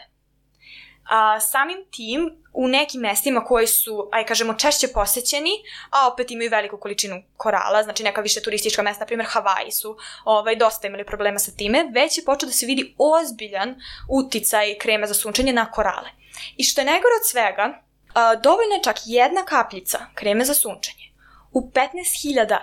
Samim tim, u nekim mestima koji su, kažemo, češće posećeni, a opet imaju veliku količinu korala, znači neka više turistička mesta, na primjer Havaji su dosta imali problema sa time, već je počeo da se vidi ozbiljan uticaj kreme za sunčanje na korale. I što je najgore od svega, dovoljno je čak jedna kapljica kreme za sunčanje u 15.000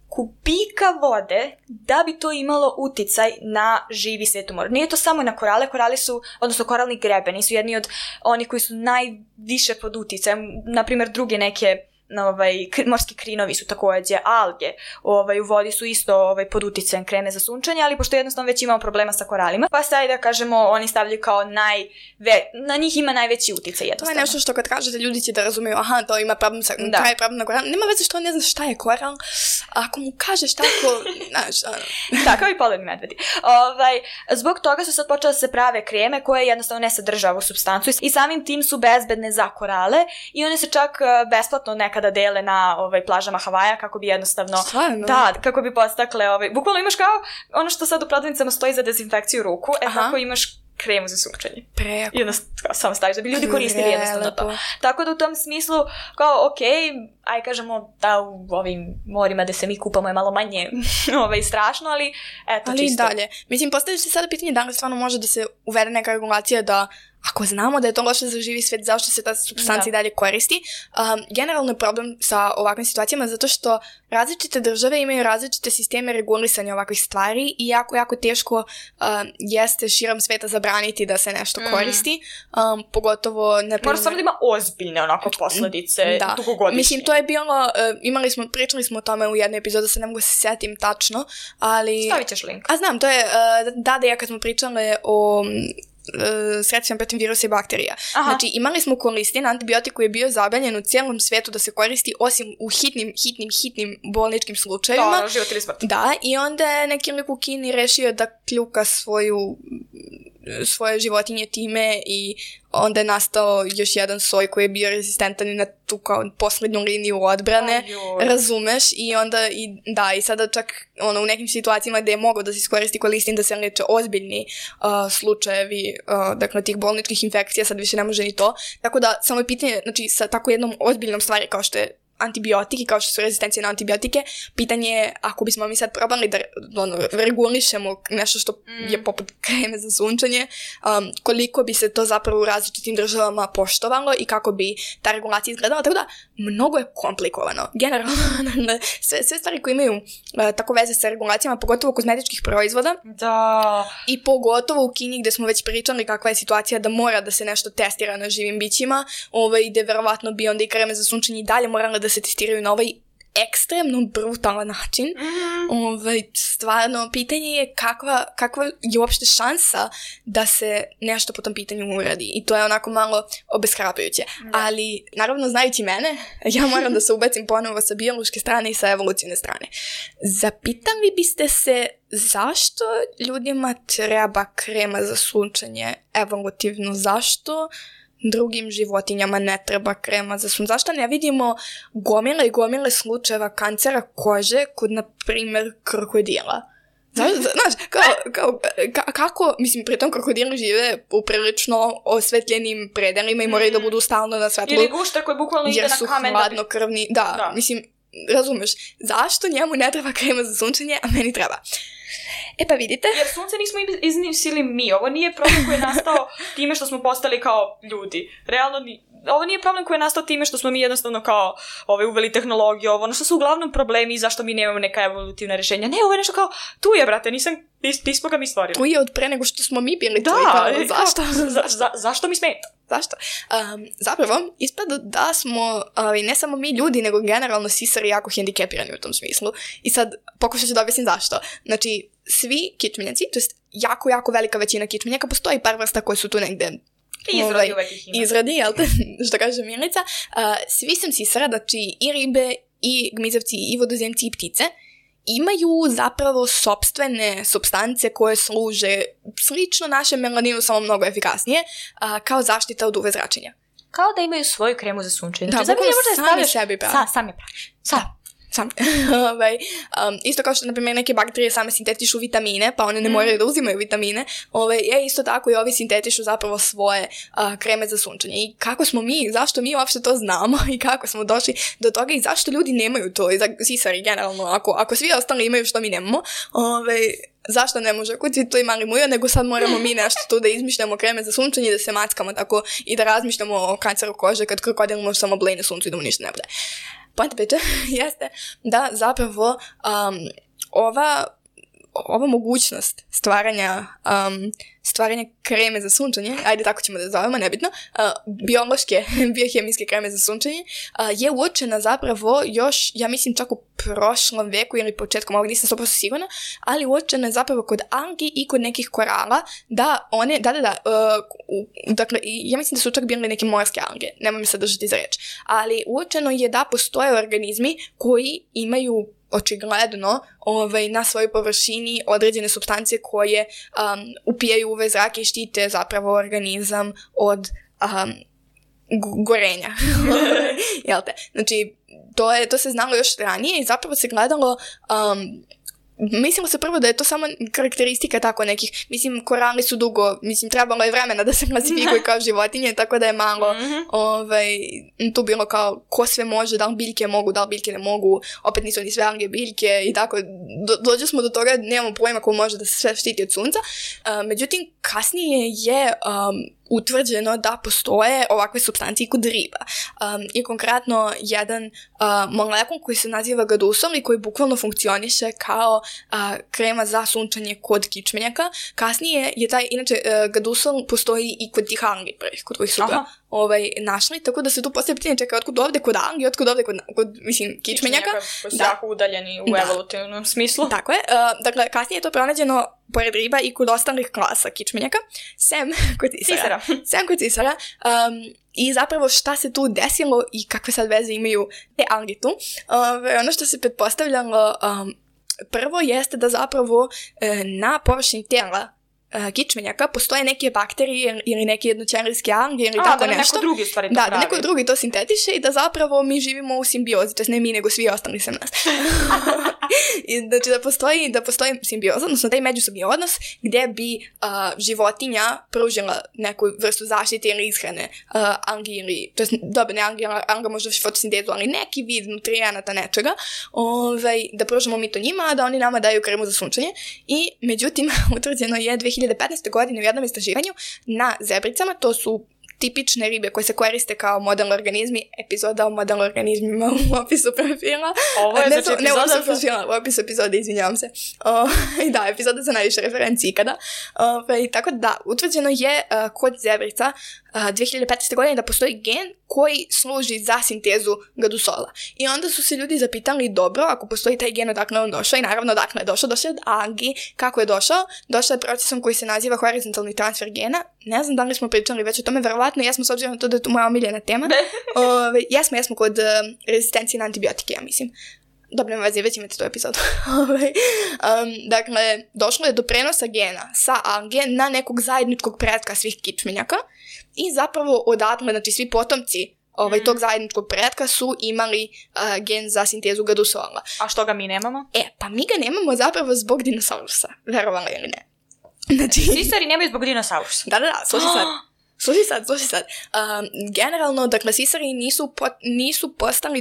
kubika vode da bi to imalo uticaj na živi svijet u moru. Nije to samo na korale, korali su, odnosno koralni grebeni su jedni od onih koji su najviše pod uticajem, na primjer druge neke morski krinovi su također, alge u vodi su isto pod uticajem kreme za sunčanje, ali pošto jednostavno već imamo problema sa koralima, pa sad da kažemo oni stavljaju kao na njih ima najveći uticaj jednostavno. To je nešto što kad kažete ljudi će da razumiju, aha, to ima problem sa taj problem na koral, nema veze što on ne zna šta je koral, ako mu kažeš tako, znaš, da, kao i polarni medvedi. Zbog toga su sad počele da se prave kreme koje jednostavno ne sadrže ovu supstancu i samim tim su bezbedne za korale i one se čak besplatno nekada dele na plažama Havaja kako bi jednostavno kako bi podstakle bukvalno imaš kao ono što sad u prodavnicama stoji za dezinfekciju ruku, tako imaš kremu za sunčanje. Prejako. I onda samo staviš da bi ljudi koristili jednostavno to. Tako da u tom smislu kao aj kažemo da u ovim morima gde se mi kupamo je malo manje strašno, ali eto ali čisto. Ali dalje. Mislim, postavljaš se sada pitanje da li stvarno može da se uvede neka regulacija da ako znamo da je to loše za živi svijet, zašto se ta supstancija dalje koristi? Generalno je problem sa ovakvim situacijama zato što različite države imaju različite sisteme regulisanja ovakvih stvari i jako teško jeste širom sveta zabraniti da se nešto koristi. Pogotovo... Mora stvarno da ima ozbiljne onako posljedice dugogodišnje. Mislim, to je bilo... pričali smo o tome u jednoj epizodu, sad ne mogu se setim tačno, ali... Stavit ćeš link. A znam, to je... Da, kad smo pričali o... sredstvima protiv virusa i bakterija. Aha. Znači, imali smo kolistin, antibiotik koji je bio zabranjen u cijelom svijetu da se koristi osim u hitnim bolničkim slučajevima. Da, život ili smrt. Da, i onda je neki lik u Kini rešio da kljuka svoje životinje time i onda je nastao još jedan soj koji je bio rezistentan i na tu kao posljednju liniju odbrane, razumeš, i onda i sada čak u nekim situacijama gdje je mogao da se iskoristi kolistin da se leče ozbiljni slučajevi dakle tih bolničkih infekcija, sad više ne može ni to, tako da samo je pitanje, znači sa tako jednom ozbiljnom stvari kao što je antibiotik i kao što su rezistencije na antibiotike, pitanje je ako bismo mi sad probali da regulišemo nešto što je poput kreme za sunčanje, koliko bi se to zapravo u različitim državama poštovalo i kako bi ta regulacija izgledala, tako da mnogo je komplikovano. Generalno, sve stvari koje imaju tako veze sa regulacijama, pogotovo kozmetičkih proizvoda, i pogotovo u Kini gdje smo već pričali kakva je situacija da mora da se nešto testira na živim bićima, gdje verovatno bi onda i kreme za sunčanje i dalje morala da se testiraju na ovaj ekstremno brutalan način. Stvarno, pitanje je kakva je uopšte šansa da se nešto po tom pitanju uradi. I to je onako malo obeshrabrujuće. Ali, naravno, znajući mene, ja moram da se ubacim ponovo sa biološke strane i sa evolucijne strane. Zapitali biste se zašto ljudima treba krema za sunčanje evolutivno? Zašto drugim životinjama ne treba krema za sunčanje? Zašto ne vidimo gomile i gomile slučajeva kancera kože kod, na primjer, krokodila? Znaš, kako, mislim, pritom krokodili žive u prilično osvetljenim predelima i moraju da budu stalno na svetlu. Ili gušter koji bukvalno ide na kamen. Jer su hladnokrvni, da, mislim, razumeš, zašto njemu ne treba krema za sunčanje, a meni treba? Pa vidite. Jer sunce nismo izmislili mi. Ovo nije problem koji je nastao time što smo postali kao ljudi. Realno, ovo nije problem koji je nastao time što smo mi jednostavno kao uveli tehnologiju, ono što su uglavnom problemi i zašto mi nemamo neka evolutivna rješenja. Ne, ovo je nešto kao, tu je, brate, nismo ga mi stvorili. Tu je od pre nego što smo mi bili. Zašto mi smeta? Zašto? Zapravo, ispada da smo, ne samo mi ljudi, nego generalno sisari jako hendikepirani u tom smislu. I sad, pokušat ću da objasnim zašto. Znači, svi kičmenjaci, to jest jako velika većina kičmenjaka, postoji par vrsta koje su tu negde izradi, jel te, što kaže Milica. Svi sam sisara, znači i ribe, i gmizavci, i vodozemci, i ptice, imaju zapravo sopstvene supstance koje služe slično našem melaninu, samo mnogo efikasnije, kao zaštita od UV zračenja. Kao da imaju svoju kremu za sunčanje. Da, sami sebi pravi. Sami pravi. Sam. Isto kao što, na primjer, neke bakterije same sintetišu vitamine, pa one ne moraju da uzimaju vitamine, isto tako i ovi sintetišu zapravo svoje kreme za sunčanje. I kako smo mi, zašto mi uopšte to znamo i kako smo došli do toga i zašto ljudi nemaju to, i sisari generalno, ako svi ostali imaju što mi nemamo, zašto ne može kod svi to imali mujo, nego sad moramo mi nešto tu da izmišljamo kreme za sunčanje, da se mackamo tako i da razmišljamo o kanceru kože kad krokodil može samo blej na suncu i da mu ništa ne bude. Poenta priče jeste da zapravo ova mogućnost stvaranja kreme za sunčanje, ajde tako ćemo da zovemo, nebitno, biohemijske kreme za sunčanje, je uočena zapravo još, ja mislim čak u prošlom veku ili početkom ovog, nisam 100% sigurna, ali uočena je zapravo kod algi i kod nekih korala, da one, dakle, ja mislim da su čak bile neke morske alge, nemoj mi se držati za reč, ali uočeno je da postoje organizmi koji imaju očigledno na svojoj površini određene supstance koje upijaju UV zrak i štite zapravo organizam od gorenja. Jel te? Znači, to se znalo još ranije i zapravo se gledalo... Mislimo se prvo da je to samo karakteristika tako nekih, mislim, korali su dugo, mislim, trebalo je vremena da se klasifikuju kao životinje, tako da je malo tu bilo kao ko sve može, da li biljke mogu, da li biljke ne mogu, opet nisu ni sve alge biljke i tako, dođe smo do toga, nemamo pojma ko može da se sve štiti od sunca, međutim, kasnije je utvrđeno da postoje ovakve supstancije i kod riba. I konkretno jedan molekul koji se naziva gadusol i koji bukvalno funkcioniše kao krema za sunčanje kod kičmenjaka. Kasnije je taj, inače, gadusol postoji i kod tih algi prvih, kod kojih su ga našli, tako da se tu postoje pitanje, čekaj, otkud ovde kod algi, otkud ovde kod mislim, kičmenjaka. Koji su jako udaljeni u evolutivnom smislu. Tako je. Dakle, kasnije je to pronađeno pored riba i kod ostalih klasa kičmenjaka, sem kod cisara. I zapravo šta se tu desilo i kakve sad veze imaju te alge tu. Ono što se pretpostavljalo prvo jeste da zapravo na površini tela kičmenjaka postoje neke bakterije ili neke jednoćelijske alge ili tako nešto. Neko drugi stvari to pravi. Da neko drugi to sintetiše i da zapravo mi živimo u simbiozi, to je ne mi nego svi ostali sem nas. I znači da postoji simbioza, odnosno taj međusobni odnos gdje bi životinja pružila neku vrstu zaštite ili ishrane algi ili, to je dobro ne alga možda fotosintezu, ali neki vid nutrijenata nečega, da pružimo mi to njima, a da oni nama daju kremu za sunčanje. I međutim, utvrđeno je 2015. godine u jednom istraživanju na zebricama, to su tipične ribe koje se koriste kao model organizmi, epizoda o model organizmima u opisu profila. Ovo je znači epizoda? U opisu epizode, izvinjavam se. Da, epizoda za najviše referenci ikada. Tako da, utvrđeno je kod zebrica 2015. godine da postoji gen koji služi za sintezu gadusola. I onda su se ljudi zapitali, dobro, ako postoji taj gen, odakle on došao, i naravno odakle je došao od algi. Kako je došao? Došao je procesom koji se naziva horizontalni transfer gena. Ne znam da li smo pričali već o tome, verovatno jesmo, s obzirom na to da je to moja omiljena tema. Jesmo kod rezistencije na antibiotike, ja mislim. Dobro, nema veze, već imate tu epizodu. Dakle, došlo je do prenosa gena sa alge na nekog zajedničkog pretka svih kičmenjaka i zapravo odatle, znači svi potomci tog zajedničkog pretka su imali gen za sintezu gadusola. A što ga mi nemamo? Pa mi ga nemamo zapravo zbog dinosaurusa, verovali ili ne. Znači, sisari nemaju zbog dinosaurusa? Da, slušaj sad. Generalno, dakle, sisari nisu postali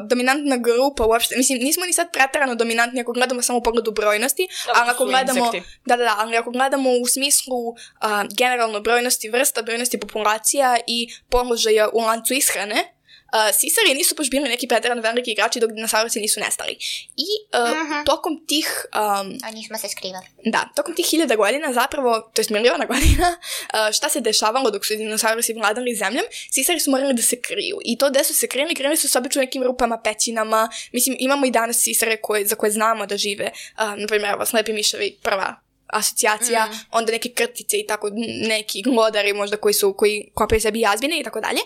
dominantna grupa uopšte. Mislim, nismo ni sad preterano dominantni ako gledamo samo u pogledu brojnosti, ali ako gledamo u smislu generalno brojnosti vrsta, brojnosti populacija i položaja u lancu ishrane, sisari nisu baš bili neki preterano veliki igrači dok dinosaurusi nisu nestali. I tokom tih... A nismo se skrivali. Da, tokom tih 1000 godina zapravo, to jest miliona godina, šta se dešavalo dok su dinosaurusi vladali zemljom, sisari su morali da se kriju. I to gde su se krili su se obično nekim rupama, pećinama. Mislim, imamo i danas sisare za koje znamo da žive. Naprimjer, slepi miševi, prva asocijacija, onda neke krtice i tako neki glodari možda koji kopaju sebi jazbine i tako dalje.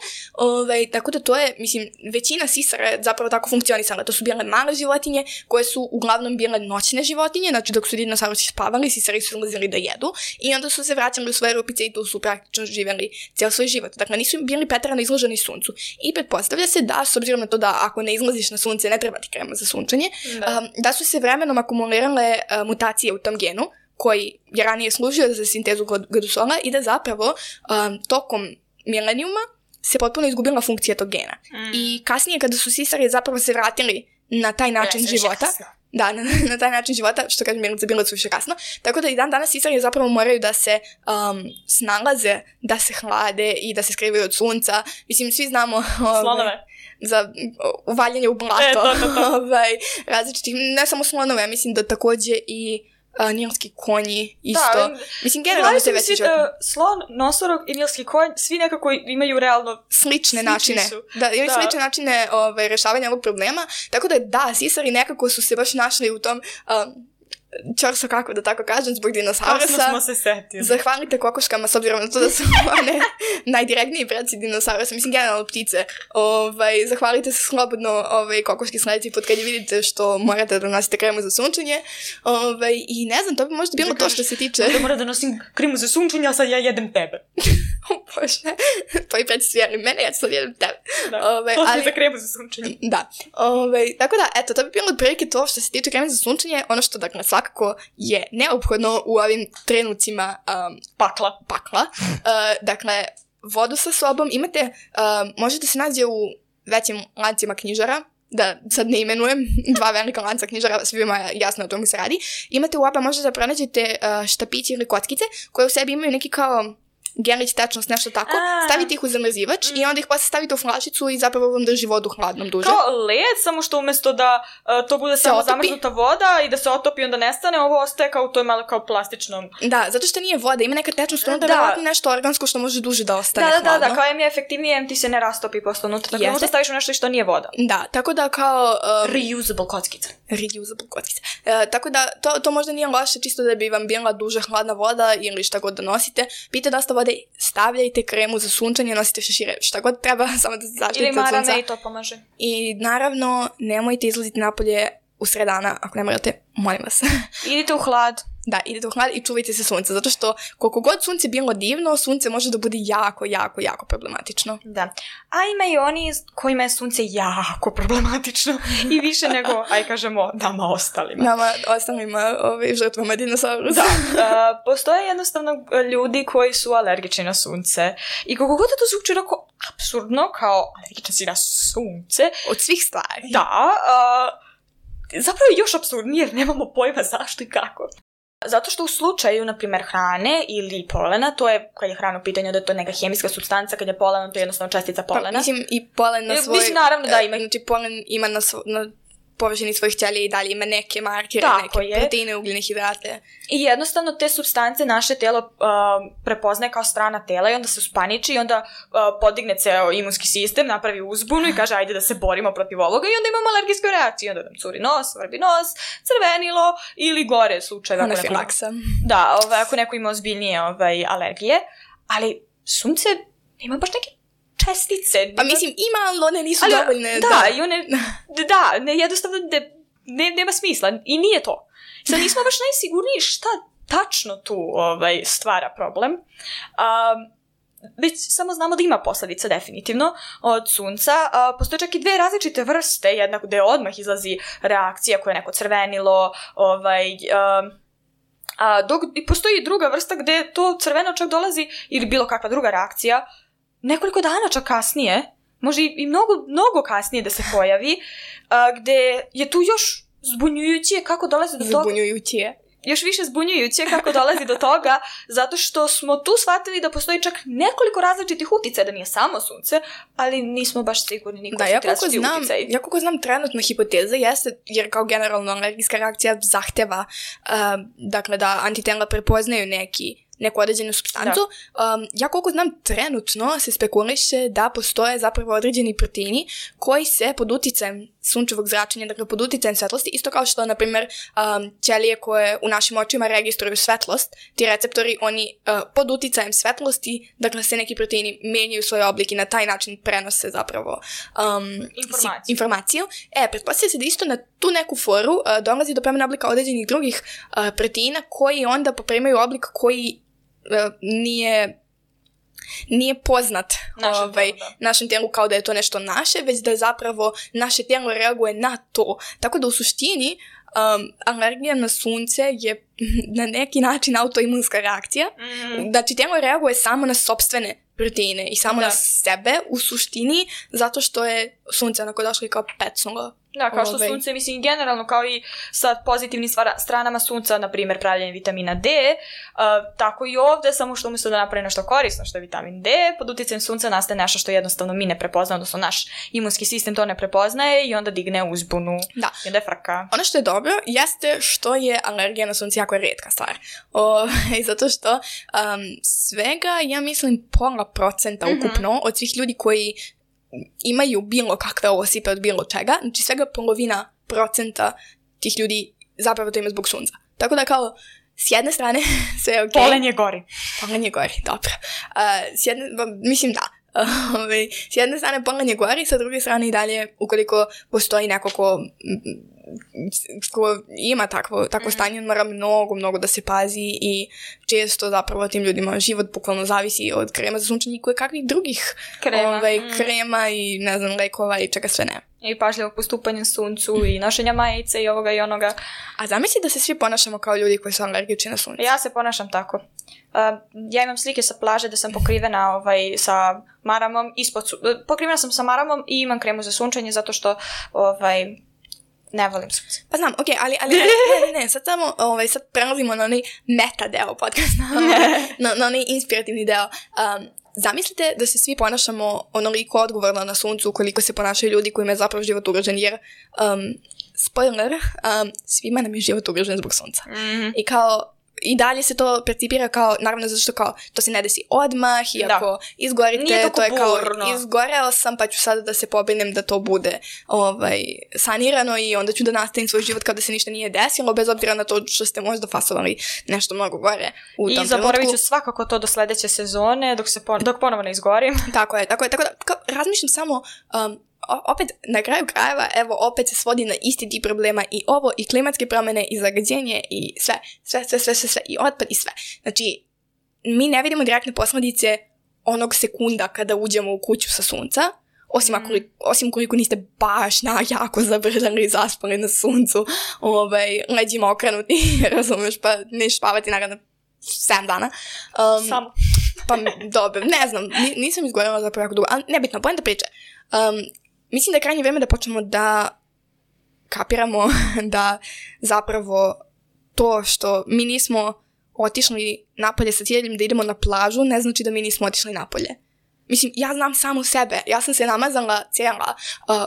Tako da to je, mislim, većina sisara je zapravo tako funkcionisala. To su bile male životinje koje su uglavnom bile noćne životinje, znači dok su dinosaurusi spavali, sisari su ulazili da jedu i onda su se vraćali u svoje rupice i tu su praktično živjeli cijel svoj život. Dakle, nisu bili preterano izloženi suncu. I pretpostavlja se da, s obzirom na to da ako ne izlaziš na sunce, ne treba ti krema za sunčanje, da su se vremenom akumulirale mutacije u tom genu koji je ranije služio za sintezu gadusola i da zapravo tokom milenijuma se potpuno izgubila funkcija tog gena. I kasnije kada su sisari zapravo se vratili na taj način života, Da, na taj način života, što kažem, Milica, bilo je suviše kasno. Tako da i dan danas sisari zapravo moraju da se snalaze, da se hlade i da se skrivaju od sunca. Mislim, svi znamo... Slonove. Za uvaljanje u blato. Različitih, ne samo slonove, mislim da takođe i nilski konji isto. Da, mislim, generalno se veći životinje. Slon, nosorog i nilski konj, svi nekako imaju realno slične načine. Da, imaju slične načine rešavanja ovog problema. Tako da, sisari nekako su se baš našli u tom čorso, kako da tako kažem, zbog dinosaurusa. Kasno smo se setili. Zahvalite kokoškama, s obzirom na to da su one najdirektniji predci dinosaurusa. Mislim, generalno ptice. Zahvalite se slobodno kokoški sledeći put kad je vidite što morate da nosite kremu za sunčanje. I ne znam, to bi možda bilo to što se tiče... Da mora da nosim kremu za sunčanje, a sad ja jedem tebe. Bože, tvoji predci su jedli mene, ja ću sad jedem tebe. Da, to ali... za kremu za sunčanje. Da. Tako da, eto, to bi bilo otprilike to što se tiče kreme za sunčanje. Ono što, dakle, svakako je neophodno u ovim trenucima pakla. Dakle, vodu sa sobom imate, možete se nađe u većim lancima knjižara, da sad ne imenujem, 2 velika lanca knjižara, svima je jasno o tomu se radi. Imate u oba, možete da pronađete štapići ili kockice koje u sebi imaju neki kao gelić, tečnost, nešto tako, stavite ih u zamrzivač i onda ih posle stavite u flašicu i zapravo vam drži vodu hladnom duže. Kao led, samo što umjesto da to bude samo zamrznuta voda i da se otopi onda nestane, ovo ostaje kao to je malo kao plastičnom. Da, zato što nije voda, ima neka tečnost, onda je verovatno nešto organsko što može duže da ostane hladno. Da, kao je efektivnije, ti se ne rastopi posle unutra, tako možda staviš u nešto što nije voda. Da, tako da kao... Reusable kockice. Tako da to možda nije loše, čisto da bi vam bila duže hladna voda ili šta god da nosite. Pite dosta vode, stavljajte kremu za sunčanje, nosite šešire, šta god treba, samo da se zaštitite od sunca. Ili marame i to pomaže. I naravno, nemojte izlaziti napolje u sred dana, ako ne morate, molim vas. Idite u hlad. Da, idete u hlad i čuvajte se sunca, zato što koliko god sunce bilo divno, sunce može da bude jako, jako, jako problematično. Da. A ima i oni kojima je sunce jako problematično i više nego, kažemo, nama ostalima. Nama ostalima, žrtvama dinosaurusa. Da, postoje jednostavno ljudi koji su alergični na sunce i koliko god to zvuči onako apsurdno, kao alergičan si na sunce. Od svih stvari. Da, zapravo je još apsurdnije jer nemamo pojma zašto i kako. Zato što u slučaju, na primjer, hrane ili polena, to je, kad je hrana u pitanju, da je to neka hemijska supstanca, kad je polen, to je jednostavno čestica polena. Pa, mislim, i polen na svoj... Mislim, naravno da ima. Znači, polen ima na površini svojih ćelija i dalje ima neke markere, neke proteine, ugljene hidrate. I jednostavno te supstance naše telo prepoznaje kao strana tela i onda se uspaniči i onda podigne ceo imunski sistem, napravi uzbunu i kaže ajde da se borimo protiv ovoga i onda imamo alergijsku reakciju. Onda nam curi nos, vrbi nos, crvenilo ili gore slučaj. Anafilaksa. Da, ako neko ima ozbiljnije alergije, ali sunce ima baš neke čestice. Pa mislim, ima, ali one nisu dovoljne. I one, jednostavno nema smisla i nije to. Sad nismo baš najsigurniji šta tačno tu stvara problem. Već samo znamo da ima posljedica definitivno od sunca. Postoje čak i 2 različite vrste, jedna gde odmah izlazi reakcija koja je neko crvenilo, dok postoji i druga vrsta gde to crveno čak dolazi ili bilo kakva druga reakcija nekoliko dana čak kasnije, može i mnogo kasnije da se pojavi, gde je tu još zbunjujuće kako dolazi do toga. Još više zbunjujuće kako dolazi do toga, zato što smo tu shvatili da postoji čak nekoliko različitih uticaja, da nije samo sunce, ali nismo baš sigurni niko su različiti uticaji. Ja koliko znam, trenutna hipoteza jeste, jer kao generalno alergijska reakcija zahteva dakle da antitela prepoznaju neku određenu supstancu. Ja koliko znam, trenutno se spekuliše da postoje zapravo određeni proteini koji se pod uticajem sunčevog zračenja, dakle pod uticajem svetlosti, isto kao što, na primjer, ćelije koje u našim očima registruju svetlost, ti receptori, oni pod uticajem svetlosti, dakle se neki proteini menjaju svoj oblik i na taj način prenose zapravo informaciju. Pretpostavlja se da isto na tu neku foru dolazi do promjene oblika određenih drugih proteina koji onda poprimaju oblik koji nije poznat našem tijelu kao da je to nešto naše, već da zapravo naše tijelo reaguje na to. Tako da u suštini alergija na sunce je na neki način autoimunska reakcija. Znači tijelo reaguje samo na sopstvene proteine i samo na sebe u suštini, zato što je sunce onako došlo i kao pecnulo Da, kao što sunce, mislim, generalno kao i sa pozitivnim stranama sunca, na primjer pravljenje vitamina D, tako i ovdje, samo što umjesto da napravi nešto korisno, što je vitamin D, pod utjecajem sunca nastaje nešto što jednostavno mi ne prepoznamo, odnosno naš imunski sistem to ne prepoznaje i onda digne uzbunu. Da. I onda je frka. Ono što je dobro jeste što je alergija na sunce jako rijetka stvar. Zato što svega, ja mislim, 0,5% ukupno od svih ljudi koji imaju bilo kakve osipe od bilo čega, znači svega 0,5% tih ljudi zapravo to ima zbog sunca. Tako da kao, s jedne strane sve je okej. Polenje gori. Polenje gori, dobro. Mislim da. S jedne strane polenje gori, sa druge strane i dalje, ukoliko postoji neko ko ima takvo stanje, mora mnogo da se pazi i često zapravo tim ljudima život bukvalno zavisi od krema za sunčanje i kakvih drugih krema i ne znam, lekova i čega sve ne. I pažljivo postupanje suncu i nošenja majice i ovoga i onoga. A zamisli da se svi ponašamo kao ljudi koji su alergični na sunce. Ja se ponašam tako. Ja imam slike sa plaže da sam pokrivena sa maramom, pokrivena sam sa maramom i imam kremu za sunčanje zato što ne volim sunce. Pa znam, okej, ali ne, sad samo, sad prelazimo na onaj meta deo podcasta, na onaj inspirativni deo. Zamislite da se svi ponašamo onoliko odgovorno na suncu koliko se ponašaju ljudi kojima je zapravo život ugrožen, jer spoiler, svima nam je život ugrožen zbog sunca. I kao, i dalje se to percipira kao, naravno zato što kao, to se ne desi odmah i ako izgorite, to je kao, izgoreo sam pa ću sada da se pobrinem da to bude sanirano i onda ću da nastavim svoj život kao da se ništa nije desilo, bez obzira na to što ste možda fasovali nešto mnogo gore u tom trenutku. I zaboravit ću svakako to do sledeće sezone dok ponovo ne izgorim. Tako da kao, razmišljam samo opet, na kraju krajeva, evo, opet se svodi na isti tip problema i ovo, i klimatske promjene, i zagađenje, i sve, i otpad, i sve. Znači, mi ne vidimo direktne posljedice onog sekunda kada uđemo u kuću sa sunca, osim koliko niste baš jako zabrljali i zaspali na suncu, leđima okrenuti, razumeš, pa ne spavati naravno 7 dana. Samo. Pa, dobro, ne znam, nisam izgorela zapravo jako dugo, ali nebitno, poenta priče. Mislim da je krajnje vrijeme da počnemo da kapiramo da zapravo to što mi nismo otišli napolje sa ciljem da idemo na plažu ne znači da mi nismo otišli napolje. Mislim, ja znam samu sebe. Ja sam se namazala cijela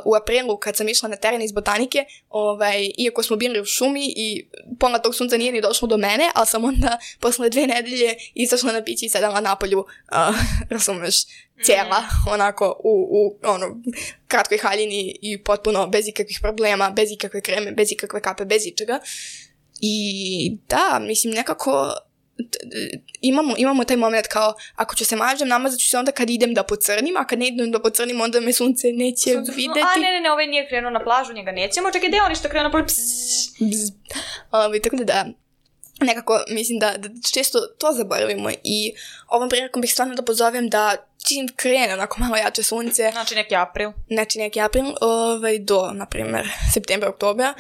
u aprilu kad sam išla na teren iz botanike, iako smo bili u šumi i pola tog sunca nije ni došlo do mene, ali sam onda posle 2 nedelje izašla na pići i sedala napolju, razumeš, cijela, onako, u kratkoj haljini i potpuno bez ikakvih problema, bez ikakve kreme, bez ikakve kape, bez ičega. I da, mislim, nekako imamo taj moment kao, ako ću se mažem, namazat ću se onda kad idem da pocrnim, a kad ne idem da pocrnim, onda me sunce neće videti. Ne, ovaj nije krenuo na plažu, njega nećemo, čekaj, gde on što krenuo na plažu? Tako da, nekako mislim da često to zaboravimo i ovom prilikom bih stvarno da pozovem da čim krene onako malo jače sunce. Znači neki april. Do, na primjer, septembra, oktobra.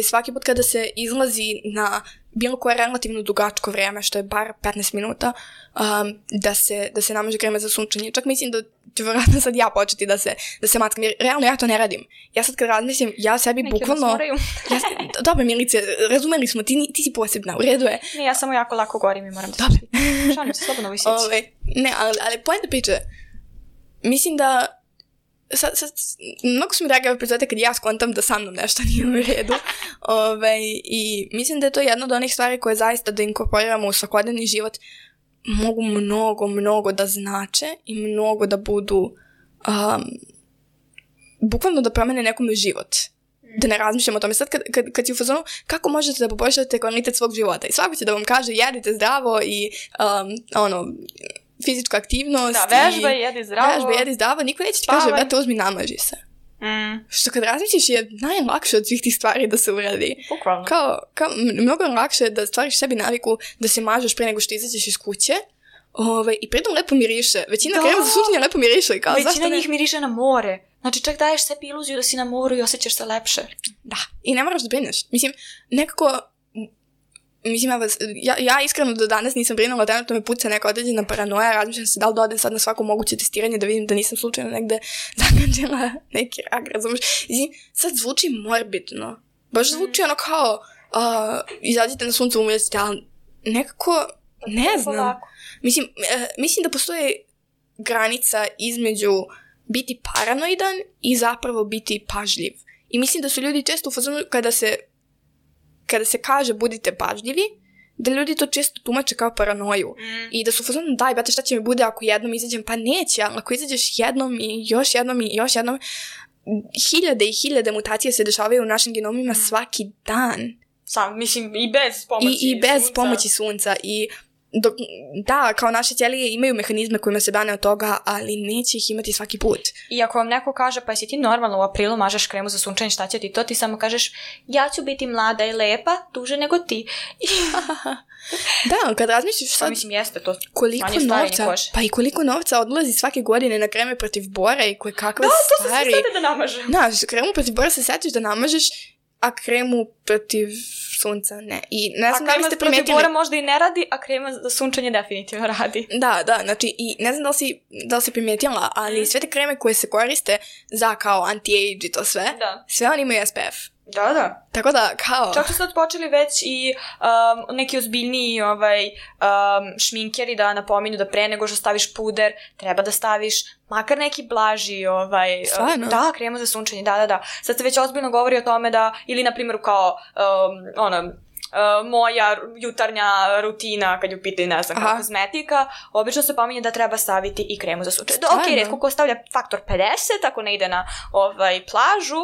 Svaki put kada se izlazi na bilo koje relativno dugačko vrijeme, što je bar 15 minuta, da se namaže krema za sunčanje. Čak mislim da ću vjerojatno sad ja početi da se matkam, jer realno ja to ne radim. Ja sad kad razmislim, ja sebi bukvalno... Dobro, Milice, razumeli smo, ti si posebna, u redu je. Ne, ja samo jako lako gorim i moram da se šalim se slobodno visići. Ne, ali pojenta priče, mislim da mnogo su mi drage epizode kad ja skontam da sa mnom nešto nije u redu. I mislim da je to jedna od onih stvari koje zaista da inkorporiramo u svakodnevni život mogu mnogo da znače i mnogo da budu bukvalno da promene nekome život. Da ne razmišljamo o tome. Sad kad si u fazonu, kako možete da poboljšate kvalitet svog života? I svako će da vam kaže jedite zdravo i fizička aktivnost. Da, vežba i jedi zdravo. Niko neće ti kaže, brate, uzmi namaži se. Što kad razmišljiš je najlakše od svih tih stvari da se uradi. Bukvalno. Kao mnogo lakše da stvariš sebi naviku da se mažeš pre nego što izađeš iz kuće. I pritom lepo miriše. Većina krema za sunčanje lepo miriše. Većina njih miriše na more. Znači čak daješ sebi iluziju da si na moru i osjećaš se lepše. Da. I ne moraš da brineš. Mislim, nekako mislim, ja iskreno do danas nisam brinula, trenutno me puca neka određena paranoja, razmišljam se da li da odem sad na svako moguće testiranje da vidim da nisam slučajno negde zakačila neki rak, razumiješ? Sad zvuči morbidno, baš zvuči ono kao izađite na sunce umjeti, ali nekako, ne znam. Mislim da postoji granica između biti paranoidan i zapravo biti pažljiv. I mislim da su ljudi često u fazonu kada se kaže budite pažljivi, da ljudi to često tumače kao paranoju. I da su u fazonu, daj, brate, šta će mi bude ako jednom izađem? Pa neće, ali ako izađeš jednom i još jednom i još jednom, hiljade i hiljade mutacija se dešavaju u našim genomima svaki dan. Mislim, i bez pomoći I bez pomoći sunca. I da, kao naše ćelije imaju mehanizme kojima se brane od toga, ali neće ih imati svaki put. I ako vam neko kaže, pa si ti normalno u aprilu mažeš kremu za sunčanje, šta će ti to? Ti samo kažeš, ja ću biti mlada i lepa, duže nego ti. Da, kad razmišljaš sad jeste to koliko novca, pa i koliko novca odlazi svake godine na kreme protiv bora i koje kakve stvari. Da, to se sete da namažem. Da, kremu protiv bora se setiš da namažeš, a kremu protiv sunca ne. I ne znam da li ste primetili. A krema protiv bora možda i ne radi, a krema za sunčanje definitivno radi. Da, znači, i ne znam da li si primetila, ali sve te kreme koje se koriste za kao anti-age i to sve, sve oni imaju SPF. Da. Tako da, kao... Čak su sad počeli već i neki ozbiljniji šminkeri da napominju da pre nego što staviš puder, treba da staviš makar neki blaži Stvarno? Da, kremu za sunčanje, da. Sad se već ozbiljno govori o tome da, ili na primjer kao moja jutarnja rutina kad ju pitaju, ne znam, kao kozmetika, obično se pominje da treba staviti i kremu za sunčanje. Ok, retko ko stavlja faktor 50 ako ne ide na plažu,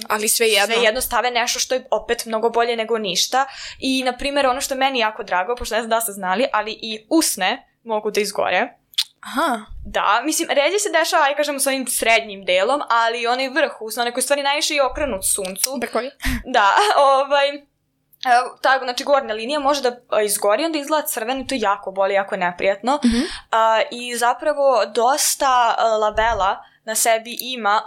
ali sve jedno stave nešto što je opet mnogo bolje nego ništa. I, na primjer, ono što je meni jako drago, pošto ne znam da ste znali, ali i usne mogu da izgore. Aha. Da, mislim, ređe se dešava, aj kažemo, s ovim srednjim delom, ali onaj vrh usna, onaj koji stvari najviše i okrenut suncu. Brkovi. Da, tako, znači gornja linija može da izgori, onda izgleda crveno i to jako boli, jako neprijatno. I zapravo dosta labela na sebi ima,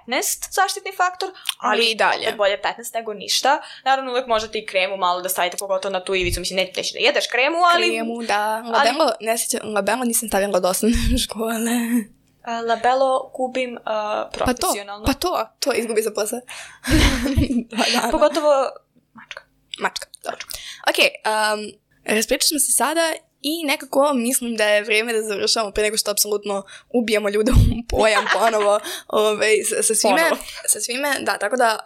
15 zaštitni faktor, ali i dalje bolje 15 nego ništa. Naravno, uvijek možete i kremu malo da stavite, pogotovo na tu ivicu, mislim, nećeš da jedeš kremu, ali... Kremu, da. Labelo nisam stavila dosta u škole. Labelo gubim profesionalno. Pa to izgubi za posao. Pogotovo Mačka, dobro. Ok, raspričali smo se sada i nekako mislim da je vrijeme da završamo pre nego što apsolutno ubijamo ljude u pojam ponovo sa svime. Da, tako da,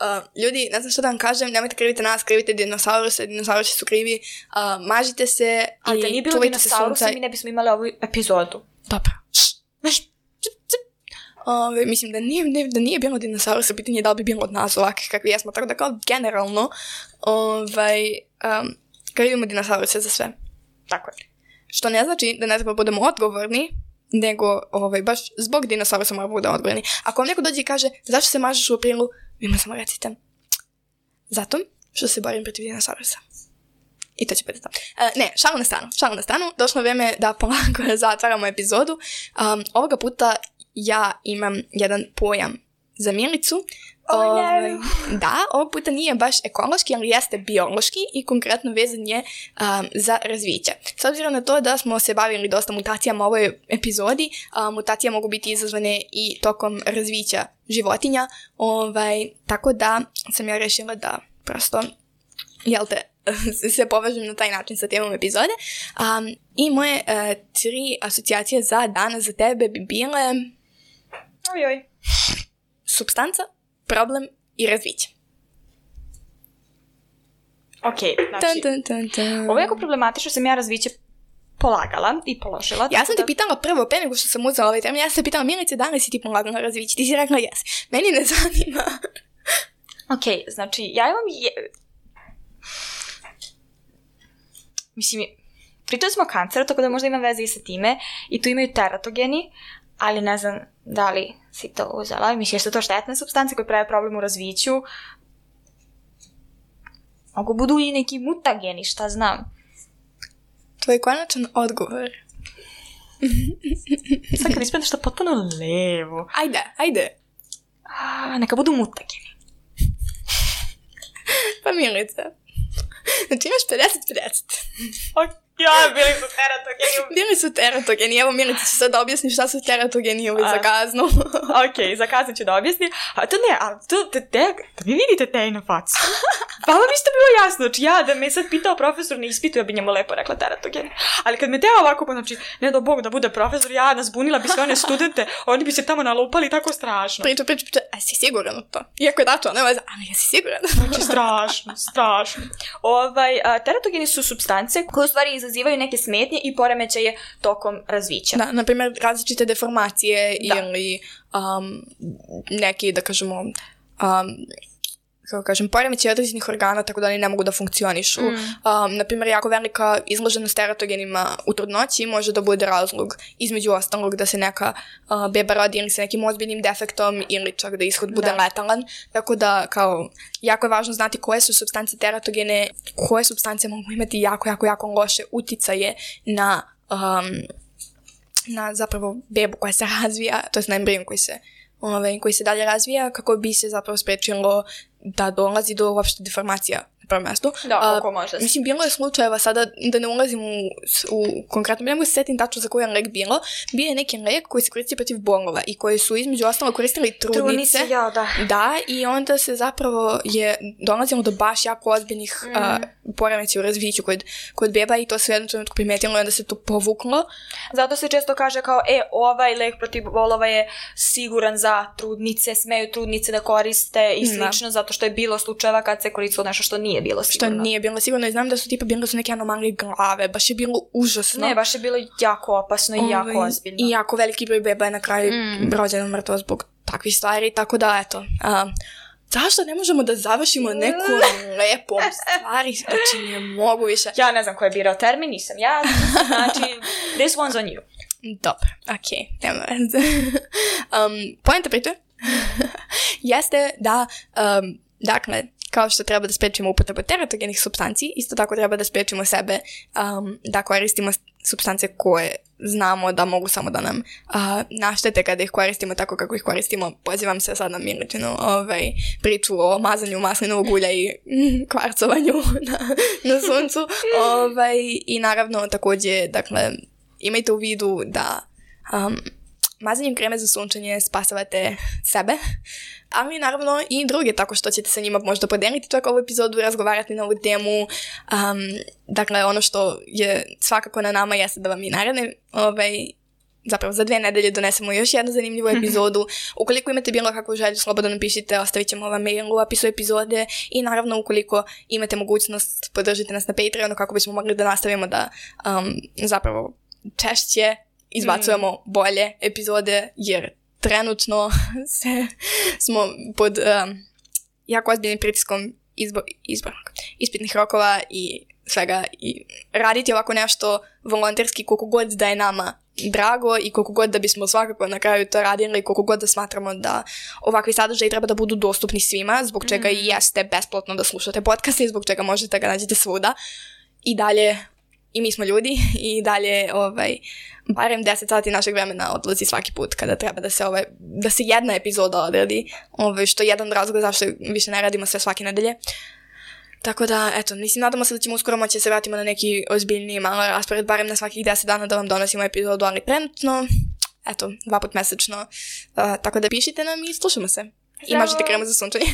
ljudi, ne znam što da vam kažem, nemojte krivite nas, krivite dinosauruse, dinosaurusi su krivi, mažite se ali da nije bilo dinosaurusa, mi ne bismo imali ovu epizodu. Dobro. Mislim da nije bilo dinosaurusa, pitanje je da li bi bilo od nas ovakvih kakvi jesmo, tako da kao generalno krivimo dinosauruse za sve. Tako je. Što ne znači da ne treba budemo odgovorni, nego baš zbog dinosaurusa moramo budemo odgovorni. Ako vam neko dođe i kaže zašto se mažeš u aprilu, vi mu samo recite zato što se borim protiv dinosaurusa. I to će biti to. Ne, šalu na stranu. Došlo je vrijeme da polako zatvaramo epizodu. Ovoga puta ja imam jedan pojam za Milicu. Da, ovog puta nije baš ekološki, ali jeste biološki i konkretno vezan je za razviće. S obzirom na to da smo se bavili dosta mutacijama u ovoj epizodi, mutacije mogu biti izazvane i tokom razvića životinja, tako da sam ja rešila da prosto, se povežem na taj način sa temom epizode. I moje 3 asocijacije za danas za tebe bi bile supstanca, problem i razviće. Ok, znači, ovo je jako problematično, sam ja razviće polagala i položila. Ja sam te pitala prvo, pre nego što sam uzela ovaj termin, ja sam te pitala, Milice, da li si ti polagala razviće? Ti si rekla jes. Meni ne zanima. Ok, znači, ja imam mislim, pričali smo o kanceru, tako da možda ima veze i sa time, i tu imaju teratogeni, ali ne znam da li si to uzela. Mislim, jer su to štetne supstance koje prave problem u razviću. Mogu budu i neki mutageni, šta znam. Tvoj konačan odgovor. Sad kad ispred nešto potpuno levo. Ajde. Neka budu mutageni. Pa Milica, Znači imaš 50-50. Ja, bili su teratogeni. Bili su teratogeni. Evo, Milica će sad da objasni šta su teratogeni za kaznu. Ok, za kaznu ću da objasnim. A to ne, ali to, da vi vidite te na facu. Pa vam isto bilo jasno, znači ja da me sad pitao profesor na ispitu, ja bi njemu lepo rekla teratogeni. Ali kad me teo ovako, pa znači, ne do Bog da bude profesor, ja nazbunila bi sve one studente, oni bi se tamo nalupali tako strašno. Priča, a si siguran u to? Iako je dato, ne vaza, ali ja si siguran. Znači, strašno. Teratogeni su supstance koje u stvari izazivaju neke smetnje i poremećaje tokom razvića. Da, na primjer, različite deformacije ili neki, da kažemo, kako kažem, poremećaj određenih organa tako da oni ne mogu da funkcionišu. Naprimjer, jako velika izloženost teratogenima u trudnoći može da bude razlog, između ostalog, da se neka beba rodi ili sa nekim ozbiljnim defektom ili čak da ishod bude letalan. Tako da, kao, jako je važno znati koje su supstance teratogene, koje supstance mogu imati jako loše uticaje na zapravo bebu koja se razvija, to je na embrion koji se dalje razvija, kako bi se zapravo sprečilo da dolazi do uopšte deformacija na prvom mjestu. Da, kako može. Mislim, bilo je slučajeva sada, da ne ulazim u konkretno, ne mogu se setim tačno za koji je lek bilo, bio je neki lek koji se koristi protiv bolova i koji su između ostalo koristili trudnice. Da, i onda se zapravo je dolazilo do baš jako ozbiljnih poremećaja u razviću kod beba i to se u jednom trenutku primetilo i onda se to povuklo. Zato se često kaže kao, ovaj lek protiv bolova je siguran za trudnice, smeju trudnice da koriste i slično, zato što je bilo slučajeva kad se koristilo nešto što nije bilo sigurno. Što nije bilo sigurno i znam da su bile neke anomalije glave, baš je bilo užasno. Ne, baš je bilo jako opasno i jako ozbiljno. I jako veliki broj beba je na kraju rođeno mrtvo zbog takvih stvari, tako da eto. Zašto ne možemo da završimo neku lepom stvari? Znači, nije mogu više. Ja ne znam ko je birao termin, nisam ja. Znači, this one's on you. Dobro, okej, nema veze. Poenta priče jeste da, dakle, kao što treba da sprečimo upotrebu teratogenih supstanci, isto tako treba da sprečimo sebe da koristimo supstance koje znamo da mogu samo da nam naštete kada ih koristimo tako kako ih koristimo. Pozivam se sad na Miličinu priču o mazanju maslinovog ulja i kvarcovanju na suncu. I naravno također, dakle, imajte u vidu da mazanjem kreme za sunčanje spasavate sebe, ali naravno i druge, tako što ćete sa njima možda podeliti čak ovu epizodu i razgovarati na ovu temu. Dakle, ono što je svakako na nama jeste da vam i naredne, zapravo za 2 nedelje donesemo još jednu zanimljivu epizodu. Ukoliko imate bilo kakvu želju, slobodno napišite, ostavit ćemo vam mail u opisu epizode i naravno ukoliko imate mogućnost, podržite nas na Patreonu kako bismo mogli da nastavimo da zapravo češće izbacujemo bolje epizode, jer trenutno smo pod jako ozbiljnim pritiskom ispitnih rokova i svega, i raditi ovako nešto volonterski koliko god da je nama drago i koliko god da bismo svakako na kraju to radili i koliko god da smatramo da ovakvi sadržaji treba da budu dostupni svima, zbog čega i jeste besplatno da slušate podcaste i zbog čega možete ga nađete svuda. I dalje, i mi smo ljudi i dalje barem 10 sati našeg vremena odlazi svaki put kada treba da se jedna epizoda odradi, što je jedan razlog zašto više ne radimo sve svake nedelje. Tako da, eto, mislim, nadamo se da ćemo uskoro moći da se vratimo na neki ozbiljniji malo raspored, barem na svakih 10 dana da vam donosimo epizodu, ali trenutno, eto, 2 puta mesečno. Tako da pišite nam i slušamo se. I mažite kremu za sunčanje.